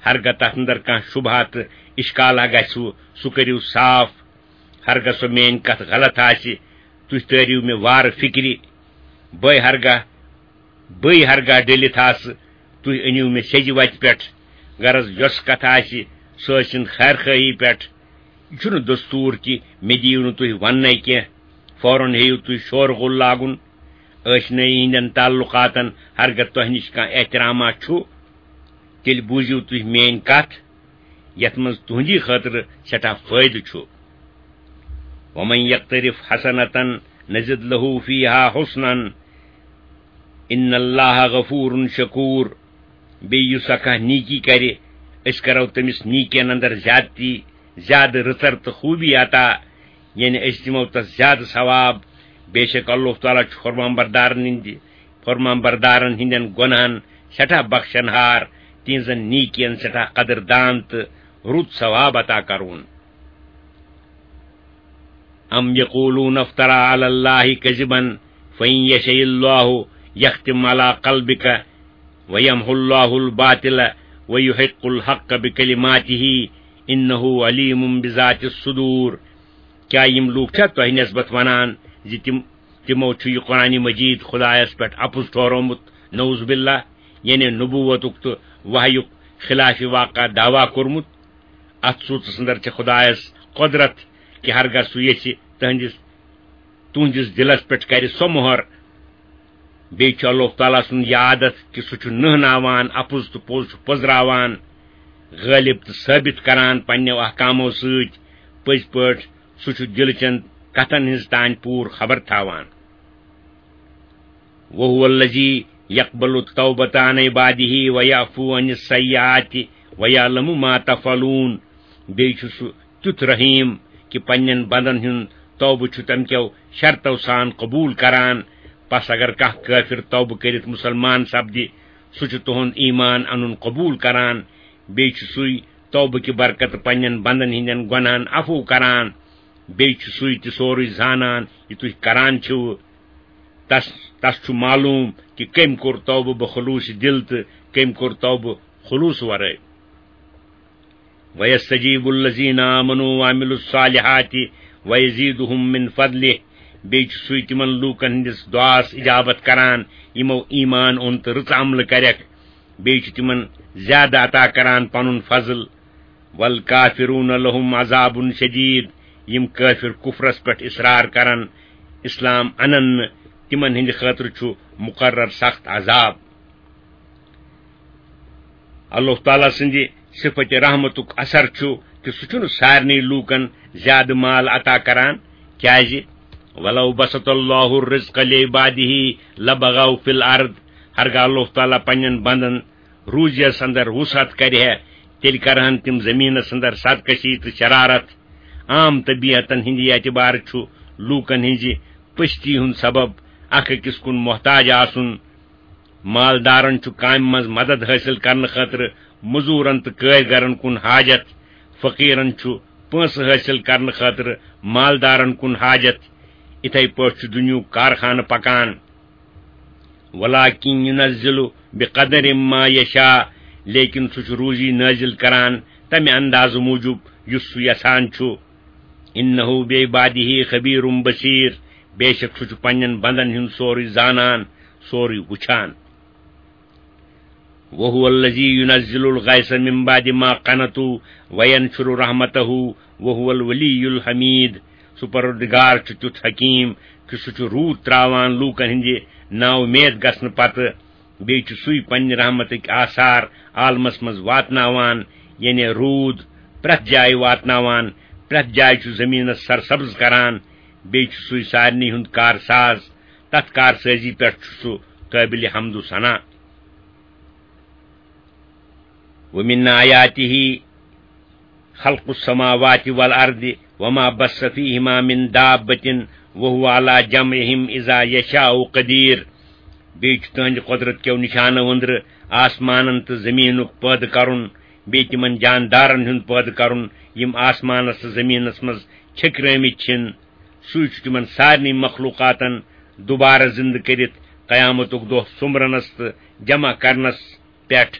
ہرگاہ تتھ اندر کانٛہہ شبہہ تہٕ اشکالہ گژھِوٕ، سُہ کٔرِو صاف۔ ہرگاہ سۄ میٲنۍ کتھ غلط آسہِ، تُہۍ تٲرِو مےٚ وارٕ فکرِ۔ بے ہرگاہ، بے ہرگاہ ڈٔلِتھ آسہٕ، تُہۍ أنِو مےٚ سیٚزِ وتہِ پٮ۪ٹھ۔ غرض، یۄس کتھ آسہِ، سۄ ٲسِن خیر خواہی پٮ۪ٹھ۔ یہِ چھُنہٕ دستوٗر کہِ مےٚ دِیِو نہٕ تُہۍ وننَے کینٛہہ، فوراً ہیٚیِو تُہۍ شور غُل لاگُن۔ ٲشنٲیی ہٕنٛدٮ۪ن تعلقاتن ہرگاہ تۄہہِ نِش کانٛہہ احترامہ چھُ، تیٚلہِ بوٗزِو تُہۍ میٲنۍ کتھ، یتھ منٛز تُہنٛدی خٲطرٕ سٮ۪ٹھاہ فٲیدٕ چھُ۔ ومن یقترف حسنة نزد له فیہا حسنا ان اللہ غفور شکور۔ بیٚیہِ یُس سا کانٛہہ نیکی کرِ، أسۍ کرو تٔمِس نیکین اندر زیادتی، زیادٕ رٕژر تہٕ خوٗبی عطا، یعنی أسۍ دِمو تس زیادٕ ثواب۔ بے شک اللہ تعالیٰ چھُ فرمان بردارن ہٕنٛدِ، فرمان بردارن ہٕنٛدٮ۪ن گۄناہن سٮ۪ٹھاہ بخشن ہار، تِہنٛزن نیکین سٮ۪ٹھاہ قدردان تہٕ رُت ثواب عطا کرون۔ ام یقولون افترى على الله كذبا فإن يشأ الله يختم على قلبك ويمحو الله الباطل ويحق الحق بكلماته إنه عليم بذات الصدور۔ کیا یِم لوٗکھ چھا تۄہہِ نسبت ونان زِ تِم، تِمو چھُ یہِ قرآن مجید خدایس پٮ۪ٹھ اپُز ٹھورومُت، نعوذ باللہ، یعنی نبوتُک تہٕ وحیُک خلاف واقع دعویٰ کوٚرمُت؟ اتھ صوٗرتس اندر چھِ خدایس قۄدرت کہِ ہرگاہ سُہ یژھِ تہنٛدِس، تُہنٛدِس دِلس پٮ۪ٹھ کرِ سۄ مۄہر۔ بیٚیہِ چھُ اللہ تعالیٰ سُنٛد یہِ عادت کہِ سُہ چھُ نہناوان اپُز تہٕ پوٚز چھُ پٔزراوان، غٲلب تہٕ ثٲبت کران پننیو احکامو سۭتۍ۔ پٔزۍ پٲٹھۍ سُہ چھُ دِلہٕ چٮ۪ن کتھن ہٕنٛز تانۍ پوٗرٕ خبر تھاوان۔ وهو الذي يقبل التوبة عن عباده ويعفو عن السيئات ويعلم ما تفعلون۔ بیٚیہِ چھُ سُہ تیُتھ رحیٖم کہِ پننٮ۪ن بندن ہُنٛد توبہٕ چھُ تمہِ کیو شرطو سان قبوٗل کران۔ پس اگر کانٛہہ کٲفِر توبہٕ کٔرِتھ مُسلمان سپدِ، سُہ چھُ تُہُنٛد ایمان انُن قبوٗل کران۔ بیٚیہِ چھُ سُے توبہٕ کہِ برکتہٕ پننٮ۪ن بندن ہٕنٛدٮ۪ن گۄناہن عفو کران۔ بیٚیہِ چھُ سُے تہِ سورُے زانان یہِ تُہۍ کران چھِو۔ تس، تس چھُ معلوٗم کہِ کٔمۍ کوٚر توبہٕ بخلوٗص دِل تہٕ کٔمۍ کوٚر توبہٕ خلوٗص ورٲے۔ وَيَسْتَجِيبُ الَّذِينَ آمَنُوا وَعَمِلُوا الصَّالِحَاتِ وَيَزِيدُهُمْ مِنْ فَضْلِهِ۔ بیٚیہِ چھُ سُے تِمن لوٗکن ہٕنٛدِس دُعاہس اجابت کران، یِمو ایمان اوٚن تہٕ رٕژ عملہٕ کرٮ۪کھ۔ بیٚیہِ چھُ تِمن زیادٕ عطا کران پنُن فضل۔ وَالْكَافِرُونَ لَهُمْ عَذَابٌ شَدِيدٌ۔ یِم کٲفِر کُفرس پٮ۪ٹھ اصرار کرن، اسلام انن نہٕ، تِمن ہٕنٛدِ خٲطرٕ چھُ مقرر سخت عذاب۔ اللہ تعالیٰ سٕنٛدِ صفت رحمتُک اثر چھُ کہِ سُہ چھُنہٕ سارنٕے لوٗکن زیادٕ مال عطا کران، کیازِ وَلَوْ بَسَطَ اللَّهُ الرِّزْقَ لِعِبَادِهِ لَبَغَوْا فِي الْأَرْضِ۔ ہرگاہ اللہ تعالیٰ پننٮ۪ن بندن روٗزیس اندر وسعت کرِ ہے، تیٚلہِ کرہن تِم زمینس اندر سرکشی تہٕ شرارت۔ عام طبیعتن ہٕنٛدِ اعتبارٕ چھُ لوٗکن ہٕنٛزِ پستی ہُنٛد سبب، اکھ أکِس کُن محتاج آسُن۔ مالدارن چھُ کامہِ منٛز مدد حٲصِل کرنہٕ خٲطرٕ مزوٗرن تہٕ کٲرۍگرن کُن حاجت، فقیرن چھُ پونٛسہٕ حٲصِل کرنہٕ خٲطرٕ مالدارن کُن حاجت۔ اِتھے پٲٹھۍ چھُ دُنیہُک کارخانہٕ پکان۔ ولکن ینزل بقدر ما یشاء، لیکن سُہ چھُ روزی نٲزِل کران تمہِ اندازٕ موٗجوٗب یُس سُہ یژھان چھُ۔ انہ بعبادہ خبیر بصیر، بے شک سُہ چھُ پننٮ۪ن بندن ہُنٛد سورُے زانان، سورُے وُچھان۔ وهو الذی ینزل الغیث من بعد ما قنطوا وینشر رحمتہ وهو الولی الحمید۔ سُہ پروردگار چھُ تیُتھ حکیم کہِ سُہ چھُ روٗد تراوان لوٗکن ہٕنٛدِ نااُمید گژھنہٕ پتہٕ۔ بیٚیہِ چھُ سُے پننہِ رحمتٕکۍ آثار عالمس منٛز واتناوان، یعنی روٗد پرٛٮ۪تھ جایہِ واتناوان، پرٛٮ۪تھ جایہِ چھُ زٔمیٖنس سرسبز کران۔ بیٚیہِ چھُ سُے سارنٕے ہُنٛد کارساز، تتھ کارسٲزی پٮ۪ٹھ چھُ سُہ قٲبلِ حمد و ثنا۔ ومن آیاتہ خلق السماوات والارض وما بث فیہما من دابۃ وهو علی جمعہم اذا یشاء قدیر۔ بیٚیہِ چھُ تُہنٛدِ قۄدرت کیو نِشانو أنٛدرٕ آسمانن تہٕ زٔمیٖنُک پٲدٕ کرُن، بیٚیہِ تِمن جاندارن ہُنٛد پٲدٕ کرُن، یِم آسمانس تہٕ زٔمیٖنس منٛز چھٔکرٲمٕتۍ چھِن۔ سُے چھُ تِمن سارنٕے مخلوقاتن دوبارٕ زِندٕ کٔرِتھ قیامتُک دۄہ سوٚمبرنس تہٕ جمع کرنس پٮ۪ٹھ،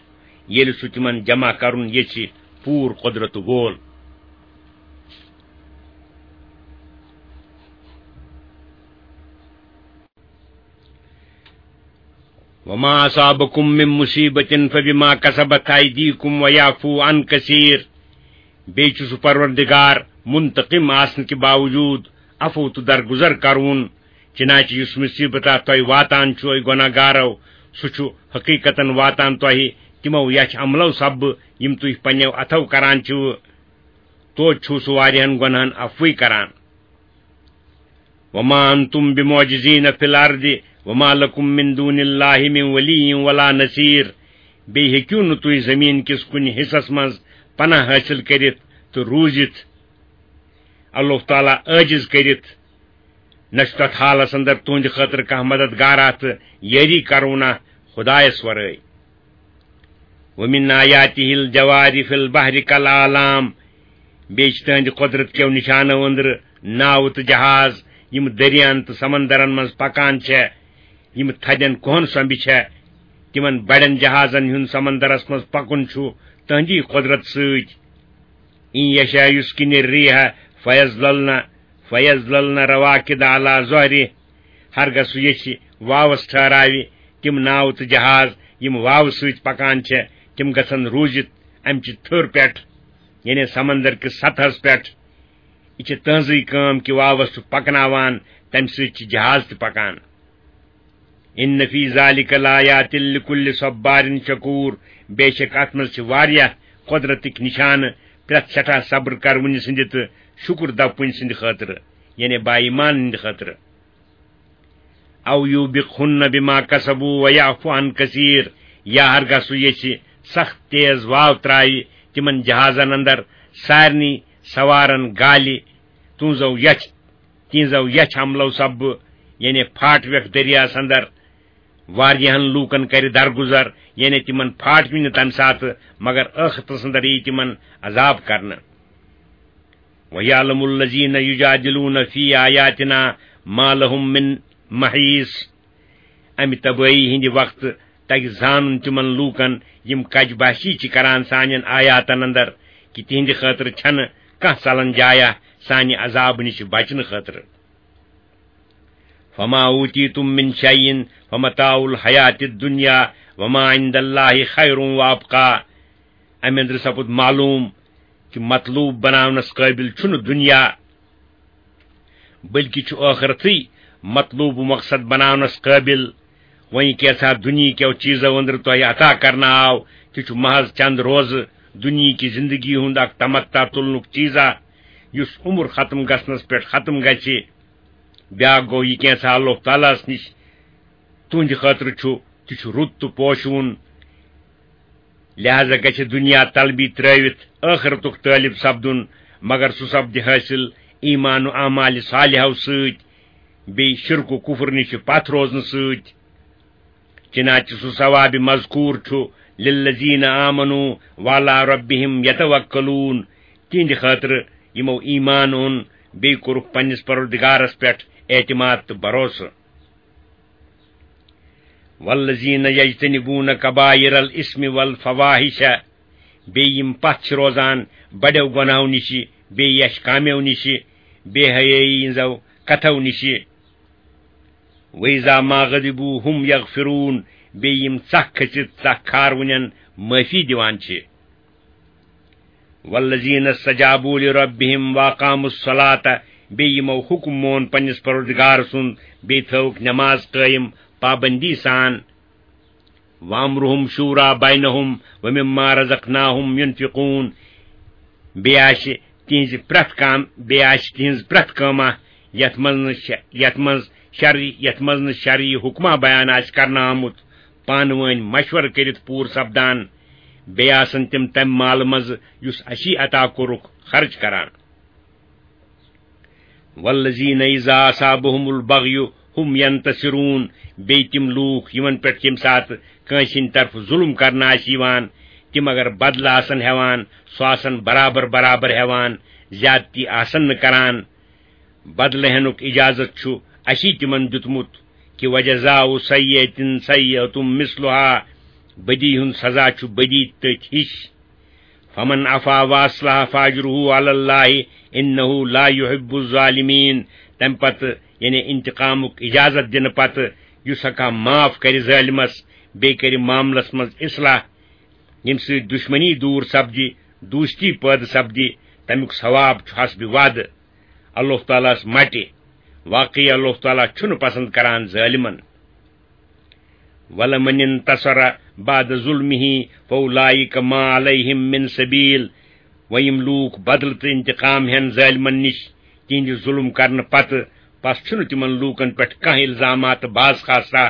ییٚلہِ سُہ تِمن جمع کرُن یژھِ، پوٗرٕ قۄدرت وول۔ وما اصابکم من مصیبۃ فبما کسبت ایدیکم ویعفو عن کثیر۔ بیٚیہِ چھُ سُہ پروردگار منتقم آسنہٕ کہِ باوجوٗد عفو تہٕ درگُزر کرون۔ چنانچہ یُس مصیبت تۄہہِ واتان چھُ، اے گۄناہ گارو، سُہ چھُ حقیقتاً واتان تۄہہِ تِمو یچھ عملو سببہٕ یِم تُہۍ پننیو اتھو کران چھِو۔ توتہِ چھُ سُہ واریاہن گۄناہن عفوٕے کران۔ وما انتم بمعجزین فی الارض وما لکم من دون اللہ من ولی ولا نصیر۔ بیٚیہِ ہیٚکِو نہٕ تُہۍ زٔمیٖن کِس کُنہِ حصس منٛز پناہ حٲصِل کٔرِتھ تہٕ روٗزِتھ، اللہ تعالیٰ عٲجِز کٔرِتھ۔ نہ چھُ تتھ حالس اندر تُہنٛدِ خٲطرٕ کانٛہہ مددگارا تہٕ یٲری کرونہ خدایس ورٲے۔ ومن آیاتہ الجوار فی البحر کالاعلام۔ بیٚیہِ چھِ تُہنٛدِ قۄدرت کیو نِشانو أنٛدرٕ ناوٕ تہٕ جہاز، یِم دٔریاہن تہٕ سمندرن منٛز پکان چھےٚ، یِم تھدٮ۪ن کوہن سۄمبہِ چھےٚ۔ تِمن بڑٮ۪ن جہازن ہُنٛد سمندرس منٛز پکُن چھُ تُہنٛدی قۄدرت سۭتۍ۔ ان یشاء یسکن الریح فیظللن، فیظللن رواکد علی ظہرہ۔ ہرگاہ سُہ یژھِ واوس ٹھہراوِ تِم ناوٕ تہٕ جہاز، یِم واوٕ سۭتۍ پکان چھےٚ، تِم گژھن روٗزِتھ امہِ چہِ تھٔر پٮ۪ٹھ، یعنی سمندر کِس سطحس پٮ۪ٹھ۔ یہِ چھِ تٕہنٛزٕے کٲم کہِ واوس چھُ پکناوان، تمہِ سۭتۍ چھِ جہاز تہِ پکان۔ ان فی ذلک لآیات لکل صبار شکور۔ بے شک اتھ منٛز چھِ واریاہ قۄدرتٕکۍ نشانہٕ پرٛٮ۪تھ سٮ۪ٹھاہ صبر کرونہِ سٕنٛدِ تہٕ شُکر دپونہِ سٕنٛدِ خٲطرٕ، یعنی با ایمان ہٕنٛدِ خٲطرٕ۔ او یوبقہن بما کسبوا ویعفو عن کثیر۔ یا ہرگاہ سُہ یژھِ سخت تیز واو ترٛاوِ تِمن جہازن اندر سارنٕے سوارن گالہِ، تُہنٛزو یچھ تِہنٛزو یچھ عملو سببہٕ، یعنی پھاٹویکھ دٔریاہس اندر واریاہن لوٗکن کرِ درگُزر، یعنی تِمن پھاٹوِ نہٕ تمہِ ساتہٕ، مگر ٲخرتس اندر ییہِ تِمن عذاب کرنہٕ۔ وَيَعْلَمُ الَّذِينَ يُجَادِلُونَ فِي آيَاتِنَا مَا لَهُم مِّن مَّحِيصٍ۔ امہِ تبٲہی ہٕنٛدِ وقتہٕ تگہِ زانُن تِمن لوٗکن، یِم کج بحثی چھِ کران سانٮ۪ن آیاتن اندر، کہِ تِہنٛدِ خٲطرٕ چھنہٕ کانٛہہ ژلن جایہ سانہِ عذابہٕ نِش بچنہٕ خٲطرٕ۔ فما اوتیتم من شیء فمتاع الحیات الدنیا وما عند اللہ خیر وابقا۔ امہِ اندرٕ سپُد معلوم کہِ مطلوب بناونس قٲبل چھُنہٕ دنیا، بلکہِ چھُ ٲخرتٕے مطلوب و مقصد بناونس قٲبل۔ وۄنۍ کینٛژھا دُنیہکیو چیٖزو أنٛدرٕ تۄہہِ عطا کرنہٕ آو، تہِ چھُ محض چند روزٕ دُنیہٕچ زندگی ہُنٛد اکھ تمتع تُلنُک چیٖزا، یُس عمر ختم گژھنس پٮ۪ٹھ ختم گژھِ۔ بیاکھ گوٚو، یہِ کینٛژھا اللہ تعالیٰ ہس نِش تُہنٛدِ خٲطرٕ چھُ، تہِ چھُ رُت تہٕ پوشوُن۔ لہذا گژھِ دُنیا طلبی ترٲوِتھ ٲخرتُک طٲلب سپدُن، مگر سُہ سپدِ حٲصِل ایمان و اعمال صالحو سۭتۍ۔ بیٚیہِ شرک و کفر نِش پتھ روزنہٕ سۭتۍ۔ چنانچہ سُہ ثواب مذکور چھُ للذین آمنوا وعلی ربہم یتوکلون، تِہنٛدِ خٲطرٕ یِمو ایمان اوٚن، بیٚیہِ کوٚرُکھ پننِس پروردگارس پٮ۪ٹھ اعتماد تہٕ بھروسہٕ۔ والذین یجتنبون کبائر الاثم والفواحش، بیٚیہِ یِم پتھ چھِ روزان بڑیو گۄناہو نِشہِ، بیٚیہِ یش کامیو نِشہِ، بے حیٲیی ہٕنٛزو کتھو نِشہِ۔ وَإِذَا مَا غَضِبُوا هُمْ يَغْفِرُونَ، بیٚیہِ یِم ژکھ کھٔژِتھ ژکھ کھاروٕنٮ۪ن معٲفی دِوان چھِ۔ وَالَّذِينَ اسْتَجَابُوا لِرَبِّهِمْ وَأَقَامُوا الصَّلَاةَ، بیٚیہِ یِمو حُکُم مون پننِس پروردگار سُنٛد، بیٚیہِ تھٲوٕکھ نٮ۪ماز قٲیِم پابندی سان۔ وَأَمْرُهُمْ شُورَىٰ بَيْنَهُمْ وَمِمَّا رَزَقْنَاهُمْ يُنْفِقُونَ۔ بیٚیہِ آسہِ تِہنٛزِ پرٛٮ۪تھ کام، بیٚیہِ آسہِ تِہنٛز پرٛٮ۪تھ کٲما یَتھ منٛز نہٕ شَ-، یَتھ منٛز شرعی، یَتھ منٛز نہٕ شرعی حُکما بیان آسہِ کرنہٕ آمُت، پانہٕ وٲنۍ مشورٕ کٔرِتھ پوٗرٕ سپدان۔ بیٚیہِ آسن تِم تَمہِ مالہٕ منٛزٕ یُس اَسی عطا کوٚرُکھ، خرٕچ کران۔ وَالَّذِينَ إِذَا أَصَابَهُمُ الْبَغْيُ هُمْ يَنْتَصِرُونَ، بیٚیہِ تِم لوٗکھ یِمن پٮ۪ٹھ ییٚمہِ ساتہٕ کٲنٛسہِ ہٕنٛدِ طرفہٕ ظُلُم کرنہٕ آسہِ یِوان، تِم اگر بدلہٕ آسن ہٮ۪وان، سُہ آسن برابر برابر ہٮ۪وان، زیادتی آسن نہٕ کران۔ بدلہٕ ہٮ۪نُک اجازت چھُ اَسی تِمن دیُتمُت، کہِ وَجَزَاءُ سَیِّئَةٍ سَیِّئَةٌ مِثْلُهَا، بدی ہُنٛد سزا چھُ بدی تٔتھۍ ہِش۔ فَمَنْ عَفَا وَأَصْلَحَ فَأَجْرُهُ عَلَى اللَّهِ إِنَّهُ لَا يُحِبُّ الظَّالِمِينَ۔ تَمہِ پتہٕ، یعنی انتقامُک اجازت دِنہٕ پتہٕ، یُس ہا کانٛہہ معاف کرِ ظٲلمس، بیٚیہِ کرِ معاملس منٛز اصلاح، ییٚمہِ سۭتۍ دُشمنی دوٗر سپدِ، دوستی پٲدٕ سپدِ، تَمیُک ثواب چھُ حسبِ وعدٕ۔ اللہ تعالیٰ ہَس مٹہِ۔ واقعی اللہ تعالیٰ چھُنہٕ پسند کران ظٲلمن۔ وَلَمَنِ انْتَصَرَ بَعْدَ ظُلْمِهِ فَأُولَٰئِكَ مَا عَلَيْهِمْ مِنْ سَبِيلٍ۔ وۄنۍ یِم لوٗکھ بدلہٕ تہٕ انتقام ہٮ۪ن ظٲلمن نِش تِہنٛدِ ظُلم کرنہٕ پتہٕ، پس چھُنہٕ تِمن لوٗکن پٮ۪ٹھ کانٛہہ الزامات تہٕ باز خاصہ۔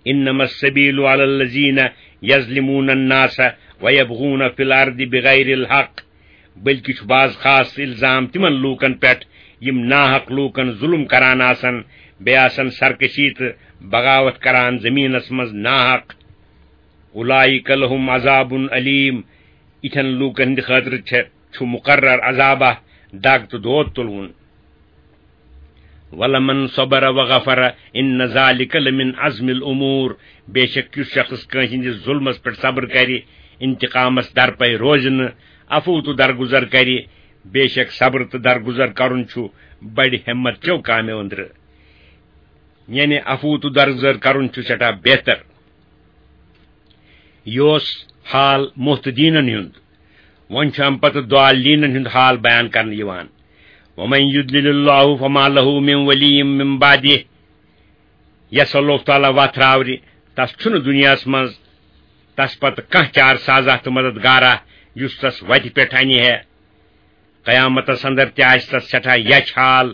إِنَّمَا السَّبِيلُ عَلَى الَّذِينَ يَظْلِمُونَ النَّاسَ وَيَبْغُونَ فِي الْأَرْضِ بِغَيْرِ الْحَقِّ، بلکہِ چھُ باز خاص الزام تِمن لوٗکن پٮ۪ٹھ یِم ناحق لوٗکن ظُلُم کران آسن، بیٚیہِ آسن سرکشی تہٕ بغاوت کران زٔمیٖنس منٛز ناحق۔ أُولَٰئِكَ لَهُمْ عَذَابٌ أَلِيمٌ۔ یِتھٮ۪ن لوٗکن ہٕنٛدِ خٲطرٕ چھےٚ، چھُ مُقرر عذابہ، دگ تہٕ دود تُلوُن۔ وَلَمَنْ صَبَرَ وَغَفَرَ إِنَّ ذَٰلِكَ لَمِنْ عَزْمِ الْأُمُورِ۔ بے شک یُس شخص کٲنٛسہِ ہٕنٛدِس ظُلمس پٮ۪ٹھ صبر کرِ، انتقامس درپے روزِ نہٕ، عفو تہٕ درگُزر کرِ، بے شک صبر تہٕ درگُزر کرُن چھُ بڑِ ہمت چیو کامیو أنٛدرٕ۔ یعنی عفو تہٕ درگُزر کرُن چھُ سٮ۪ٹھاہ بہتر۔ یہِ اوس حال محتدیٖنن ہُنٛد۔ وۄنۍ چھُ اَمہِ پتہٕ ضالینن ہُنٛد حال بیان کرنہٕ یِوان۔ وَمَن يُضْلِلِ اللَّهُ فَمَا لَهُ مِن وَلِيٍّ مِن بَعْدِهِ۔ یَس اللہ تعالیٰ وَتھ راورِ، تَس چھُنہٕ دُنیاہَس منٛز تَس پتہٕ کانٛہہ چار سازا تہٕ مددگارا، یُس تَس وَتہِ پٮ۪ٹھ اَنہِ ہے۔ قیامتس اندر تہِ آسہِ تس سٮ۪ٹھاہ یچھ حال۔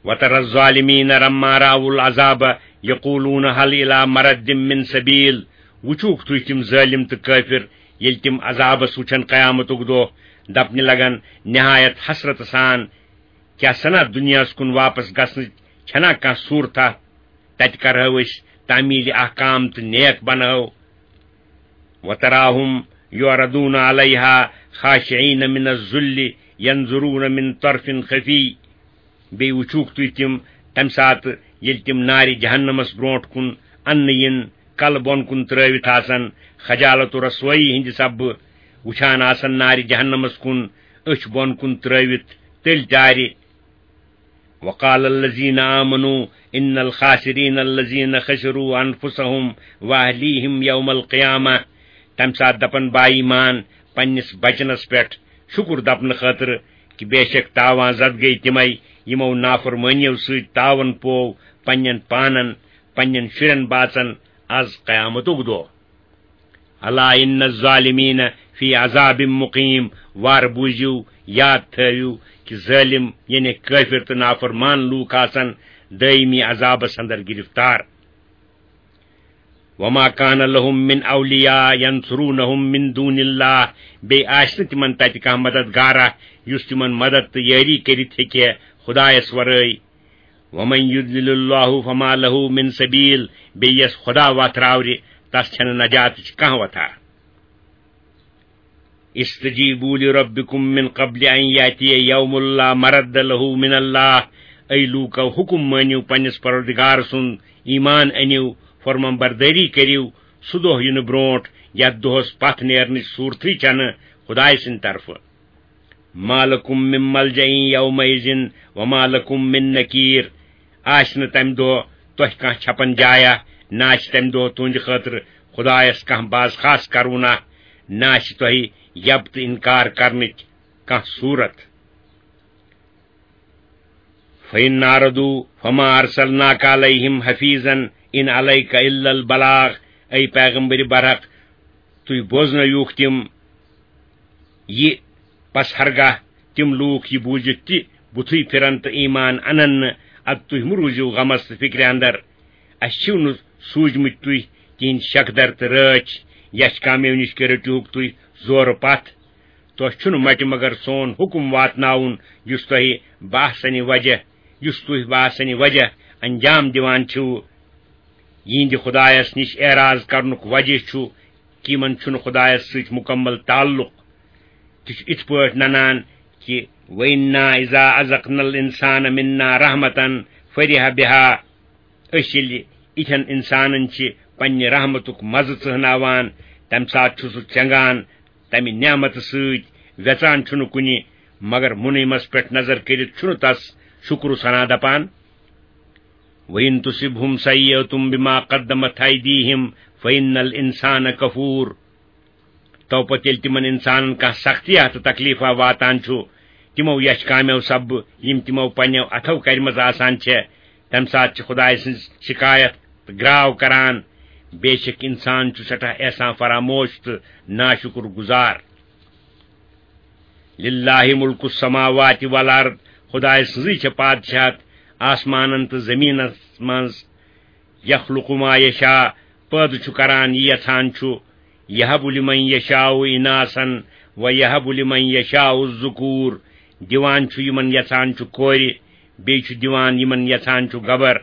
وَتَرَى الظَّالِمِينَ لَمَّا رَأَوُا الْعَذَابَ يَقُولُونَ هَلْ إِلَى مَرَدٍّ مِّن سَبِيلٍ۔ وُچھُکھ تُہۍ تِم ظٲلِم تہٕ کٲفِر، ییٚلہِ تِم عذابس وُچھن قیامتُک دۄہ، دپنہِ لگن نہایت حسرت سان، کیٛاہ سنا دُنیاہس کُن واپس گژھنٕچ چھنا کانٛہہ صوٗرتھا؟ تتہِ کرہو أسۍ تعمیل احکام تہٕ نیک بنہو۔ وَتَرَاهُمْ يُعْرَضُونَ عَلَيْهَا خَاشِعِينَ مِنَ الذُّلِّ يَنظُرُونَ مِنْ طَرْفٍ خَفِيٍّ۔ بیٚیہِ وُچھوکھ تُہۍ تِم تَمہِ ساتہٕ، ییٚلہِ تِم نارِ جہنمس برونٛٹھ کُن اَننہٕ یِن، کلہٕ بۄن کُن ترٲوِتھ آسن، خجالت و رسوٲیی ہٕنٛدِ سببہٕ وُچھان آسن نارِ جہنمس کُن، أچھ بۄن کُن ترٲوِتھ تٔلۍ ٹارِ۔ وَقَالَ الَّذِينَ آمَنُوا إِنَّ الْخَاسِرِينَ الَّذِينَ خَسِرُوا أَنْفُسَهُمْ وَأَهْلِيهِمْ يَوْمَ الْقِيَامَةِ۔ تَمہِ ساتہٕ دَپَن با ایمان پننِس بچنَس پٮ۪ٹھ شُکُر دَپنہٕ خٲطرٕ، کہِ بے شک تاوان زد گٔے تِمَے یِمو نافرمٲنیو سۭتۍ تاوَن پوو پننٮ۪ن پانَن، پننٮ۪ن شُرٮ۪ن باژَن، از قیامتُک دۄہ۔ أَلَا إِنَّ الظَّالِمِينَ فِي عَذَابٍ مُقِيمٍ۔ وار بوٗزِو، یاد تھٲوِو کہِ ظٲلِم، یعنی کٲفِر تہٕ نافرمان لوٗکھ آسَن دٲیمی عذابَس اندر گِرفتار۔ وَمَا كَانَ لَهُم مِّنْ أَوْلِيَاءَ يَنْصُرُونَهُمْ مِنْ دُونِ اللَّهِ۔ بیٚیہِ آسہِ نہٕ تِمَن تَتہِ کانٛہہ مددگارا یُس تِمَن مدد تہٕ یٲری کٔرِتھ ہیٚکہِ خۄدایَس وَرٲے۔ ومن يضلل الله فما له من سبيل، بیٚیہِ یَس خۄدا وَتھ راورِ، تَس چھَنہٕ نجاتٕچ کانٛہہ وَتھا۔ استجیبوا لربکم من قبل ان یاتی یوم لا مرد له من اللہ، اے لوٗکو، حُکُم مٲنِو پننِس پروردگار سُنٛد، ایمان أنِو، فرمان بردٲری کٔرِو، سُہ دۄہ یِنہٕ برونٛٹھ یَتھ دۄہَس پَتھ نیرنٕچ صوٗرتھٕے چھَنہٕ خۄداے سٕنٛدِ طرفہٕ۔ ما لکم من ملجأ یومئذ وما لکم من نکیر۔ آسہِ نہٕ تَمہِ دۄہ تۄہہِ کانٛہہ چھپن جایہ، نہ آسہِ تَمہِ دۄہ تُہنٛدِ خٲطرٕ خۄدایس کانٛہہ باز خاص کرونہ، نہ آسہِ تۄہہِ یب تہٕ انکار کرنٕچ کانٛہہ صوٗرت۔ فإن أعرضوا فما أرسلناك عليهم حفيظا إن عليك إلا البلاغ۔ اے پیغمبر برحق، تُہۍ بوزنٲیوکھ تِم یہِ، پس ہرگاہ تِم لوٗکھ یہِ بوٗزِتھ تہِ بُتھٕے پھِرن تہٕ ایمان انن نہٕ، ادٕ تُہۍ مہٕ روٗزِو غمس تہٕ فِکرِ اندر۔ اسہِ چھِو نہٕ سوٗزمٕتۍ تُہۍ تِہنٛدۍ شکدر تہٕ رٲچھ، یچھ کامیو نِش کہِ رٔٹِوکھ تُہۍ زورٕ پتھ۔ تۄہہِ چھُنہٕ مٹہِ مگر سون حُکُم واتناوُن، یُس تۄہہِ بحثنِ وجہ، یُس تُہۍ بحثنِ وجہ انجام دِوان چھِو۔ یِہنٛدِ خۄدایس نِش اعراض کرنُک وجہ چھُ کہِ یِمن چھُنہٕ خۄدایس سۭتۍ مُکمل تعلق۔ تہِ چھُ اِتھ پٲٹھۍ ننان کہِ وَإِنَّا إِذَا أَذَقْنَا الْإِنسَانَ مِنَّا رَحْمَةً فَرِحَ بِهَا۔ أسۍ ییٚلہِ یِتھٮ۪ن اِنسانن چھِ پننہِ رحمتُک مزٕ ژٕہناوان، تمہِ ساتہٕ چھُ سُہ ژٮ۪نٛگان تمہِ نعمتہٕ سۭتۍ، وٮ۪ژان چھُنہٕ کُنہِ، مگر مُنعمس پٮ۪ٹھ نظر کٔرِتھ چھُنہٕ تس شُکر و ثنا دپان۔ وَإِن تُصِبْهُمْ سَيِّئَةٌ بِمَا قَدَّمَتْ أَيْدِيهِمْ فَإِنَّ الْإِنسَانَ كَفُورٌ۔ تو پتہٕ ییٚلہِ تِمن اِنسانن کانٛہہ سختی تہٕ تکلیفا واتان چھُ، تِمو یچھ کامیو سببہٕ، یِم تِمو پننیو اتھو کرِمژٕ آسان چھےٚ، تمہِ ساتہٕ چھِ خۄدایہِ سٕنٛز شکایت تہٕ گراو کران۔ بے شک اِنسان چھُ سٮ۪ٹھاہ احسان فراموش تہٕ ناشُکُر گُزار۔ لِلَّهِ مُلْکُ السَّمَاوَاتِ وَالْأَرْضِ، خۄدایہِ سٕنٛزٕے چھےٚ پادشاہت آسمانن تہٕ زٔمیٖنس منٛز۔ یَخْلُقُ مَا یَشَاءُ، پٲدٕ چھُ کران یہِ یژھان چھُ۔ یَهَبُ لِمَن یَشَاءُ إِنَاثًا وَیَهَبُ لِمَن یَشَاءُ الذُّكُورَ، دِوان چھُ یِمن یژھان چھُ کورِ، بیٚیہِ چھُ دِوان یِمن یژھان چھُ گبر۔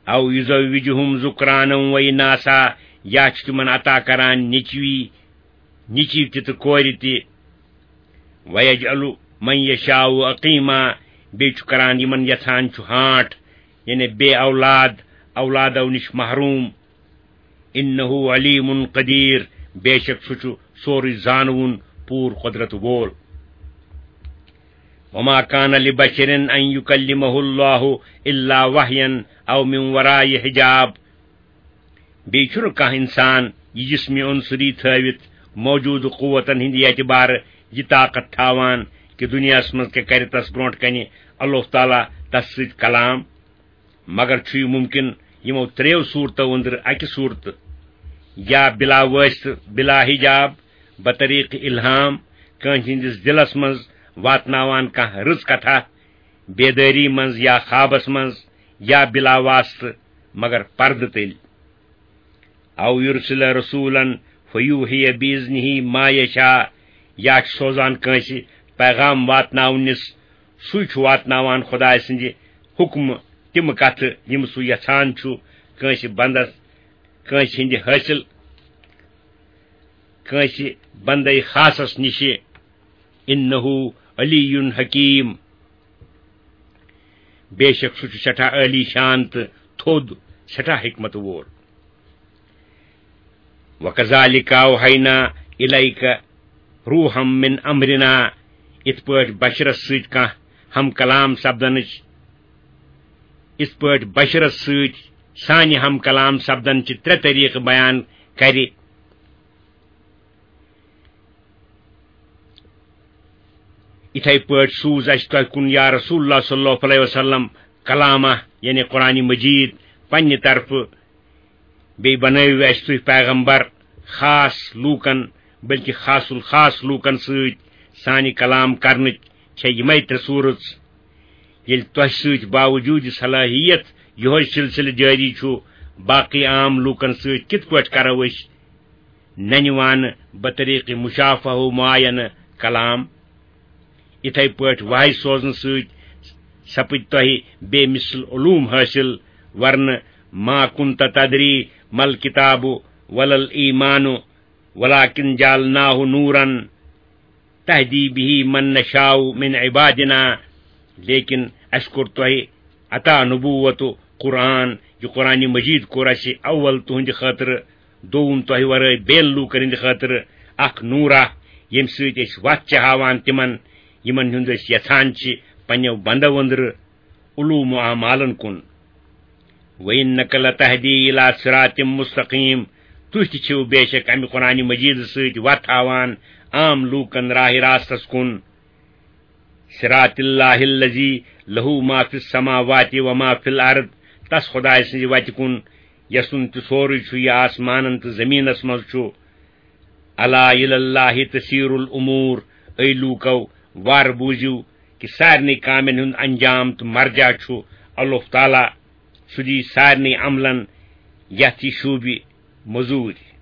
أَوْ يُزَوِّجُهُمْ ذُكْرَانًا وَإِنَاثًا، یا چھُ تِمن عطا کران نیٚچوی، نیٚچوۍ تہِ تہٕ کورِ تہِ۔ وَيَجْعَلُ مَن يَشَاءُ عَقِيمًا، بیٚیہِ چھُ کران یِمن یژھان چھُ ہانٹ، یعنی بے اولاد، اولادو نِش محروم۔ إِنَّهُ عَلِيمٌ قَدِيرٌ، بے شک سُہ چھُ سورُے زانوُن، پوٗرٕ قۄدرت وول۔ وَمَا كَانَ لِبَشَرٍ أَن يُكَلِّمَهُ اللَّهُ إِلَّا وَحْيًا أَوْ مِن وَرَاءِ حِجَابٍ۔ بیٚیہِ چھُنہٕ کانٛہہ اِنسان یہِ جسمی عنصری تھٲوِتھ موجودٕ قوتن ہٕنٛدِ اعتبارٕ یہِ طاقت تھاوان کہِ دُنیاہس منٛز کیٛاہ کرِ تس برونٛٹھ کنہِ اللہ تعالیٰ تس سۭتۍ کلام۔ مگر چھُ یہِ مُمکِن یِمو ترٛیٚیو صوٗرتو أنٛدرٕ اَکہِ صوٗرتہٕ، یا بِلا وٲسطہٕ، بِلا حِجاب، بطریٖقہٕ اِلہام، کٲنٛسہِ ہٕنٛدِس دِلس منٛز واتناوان کانٛہہ رٕژ کتھا، بیدٲری منٛز یا خوابس منٛز، یا بِلا واسطہٕ، مگر پردٕ تٔلۍ۔ أَوْ يُرْسِلَ رَسُولًا فَيُوحِيَ بِإِذْنِهِ مَا يَشَاءُ، یا چھُ سوزان کٲنٛسہِ پیغام واتناونِس، سُے چھُ واتناوان خۄداے سٕنٛدِ حُکمہٕ تِم کتھٕ یِم سُہ یژھان چھُ کٲنٛسہِ بندس، کٲنٛسہِ ہٕنٛدِ حٲصِل، کٲنٛسہِ بندے خاصس نِشہِ۔ إِنَّهُ عَلِيٌّ حَكِيمٌ، بے شک سُہ چھُ سٮ۪ٹھاہ عٲلی شان تہٕ تھوٚد، سٮ۪ٹھاہ حکمت وول۔ وَكَذَلِكَ أَوْحَيْنَا إِلَيْكَ رُوحًا مِنْ أَمْرِنَا، یِتھ پٲٹھۍ بشرس سۭتۍ کانٛہہ ہم کلام سپدنٕچ، یِتھ پٲٹھۍ بشرس سۭتۍ سانہِ ہم کلام سپدن چہِ ترٛےٚ طریٖقہٕ بیان کرِ۔ یِتھے پٲٹھۍ سوٗز اَسہِ تۄہہِ کُن یا رسول اللہ صلی اللہ علیہ وسلم کلامہ، یعنی قرآن مجید، پننہِ طرفہٕ۔ بیٚیہِ بنٲوِو اَسہِ تُہۍ پیغمبر خاص لوٗکن، بلکہِ خاص الخاص لوٗکن سۭتۍ۔ سانہِ کلام کرنٕچ چھےٚ یِمے ترٛےٚ صوٗرژ۔ ییٚلہِ تۄہہِ سۭتۍ باوجوٗد صلٲحیت یِہوے سلسلہٕ جٲری چھُ، باقٕے عام لوٗکن سۭتۍ کِتھ پٲٹھۍ کرو أسۍ ننہِ وانہٕ بطریق مشافہہ و معاینہٕ کلام؟ یِتھے پٲٹھۍ وحی سوزنہٕ سۭتۍ سپٕدۍ تۄہہِ بے مثل علوم حٲصِل، ورنہٕ ما كنت تدري ما الكتاب ولا الإيمان ولكن جعلناه نورا تهدي به من نشاء من عبادنا۔ لیکن اسہِ کوٚر تۄہہِ عطا نبوت، قرآن، یہِ قرآن مجید کوٚر اسہِ اول تُہنٛدِ خٲطرٕ، دوٚوُم تۄہہِ ورٲے بیٚین لوٗکن ہٕنٛدِ خٲطرٕ اکھ نوٗرا، ییٚمہِ سۭتۍ أسۍ وتھ چھِ ہاوان تِمن، یِمن ہُنٛد أسۍ یژھان چھِ پننیو بندو أنٛدرٕ علوم و اعمالن کُن۔ وَإِنَّكَ لَتَهْدِي إِلَىٰ صِرَاطٍ مُّسْتَقِيمٍ۔ تُہۍ تہِ چھِو بے شک امہِ قرآن مجید سۭتۍ وتھ ہاوان عام لوٗکن راہِ راستس کُن۔ صِرَاطِ اللَّهِ الَّذِي لَهُ مَا فِي السَّمَاوَاتِ وَمَا فِي الْأَرْضِ۔ تس خدایہِ سٕنٛزِ وتہِ کُن، یسُن تہِ سورُے چھُ، یہِ آسمانن تہٕ زمینس منٛز چھُ۔ أَلَا إِلَى اللَّهِ تَصِيرُ الْأُمُورُ۔ اے لوٗکو، وارٕ بوٗزِو کہِ سارنٕے کامٮ۪ن ہُنٛد انجام تہٕ مرجع چھُ اللہ تعالیٰ۔ سُہ دی سارنٕے عملن یتھ یہِ شوٗبہِ مٔزوٗرۍ۔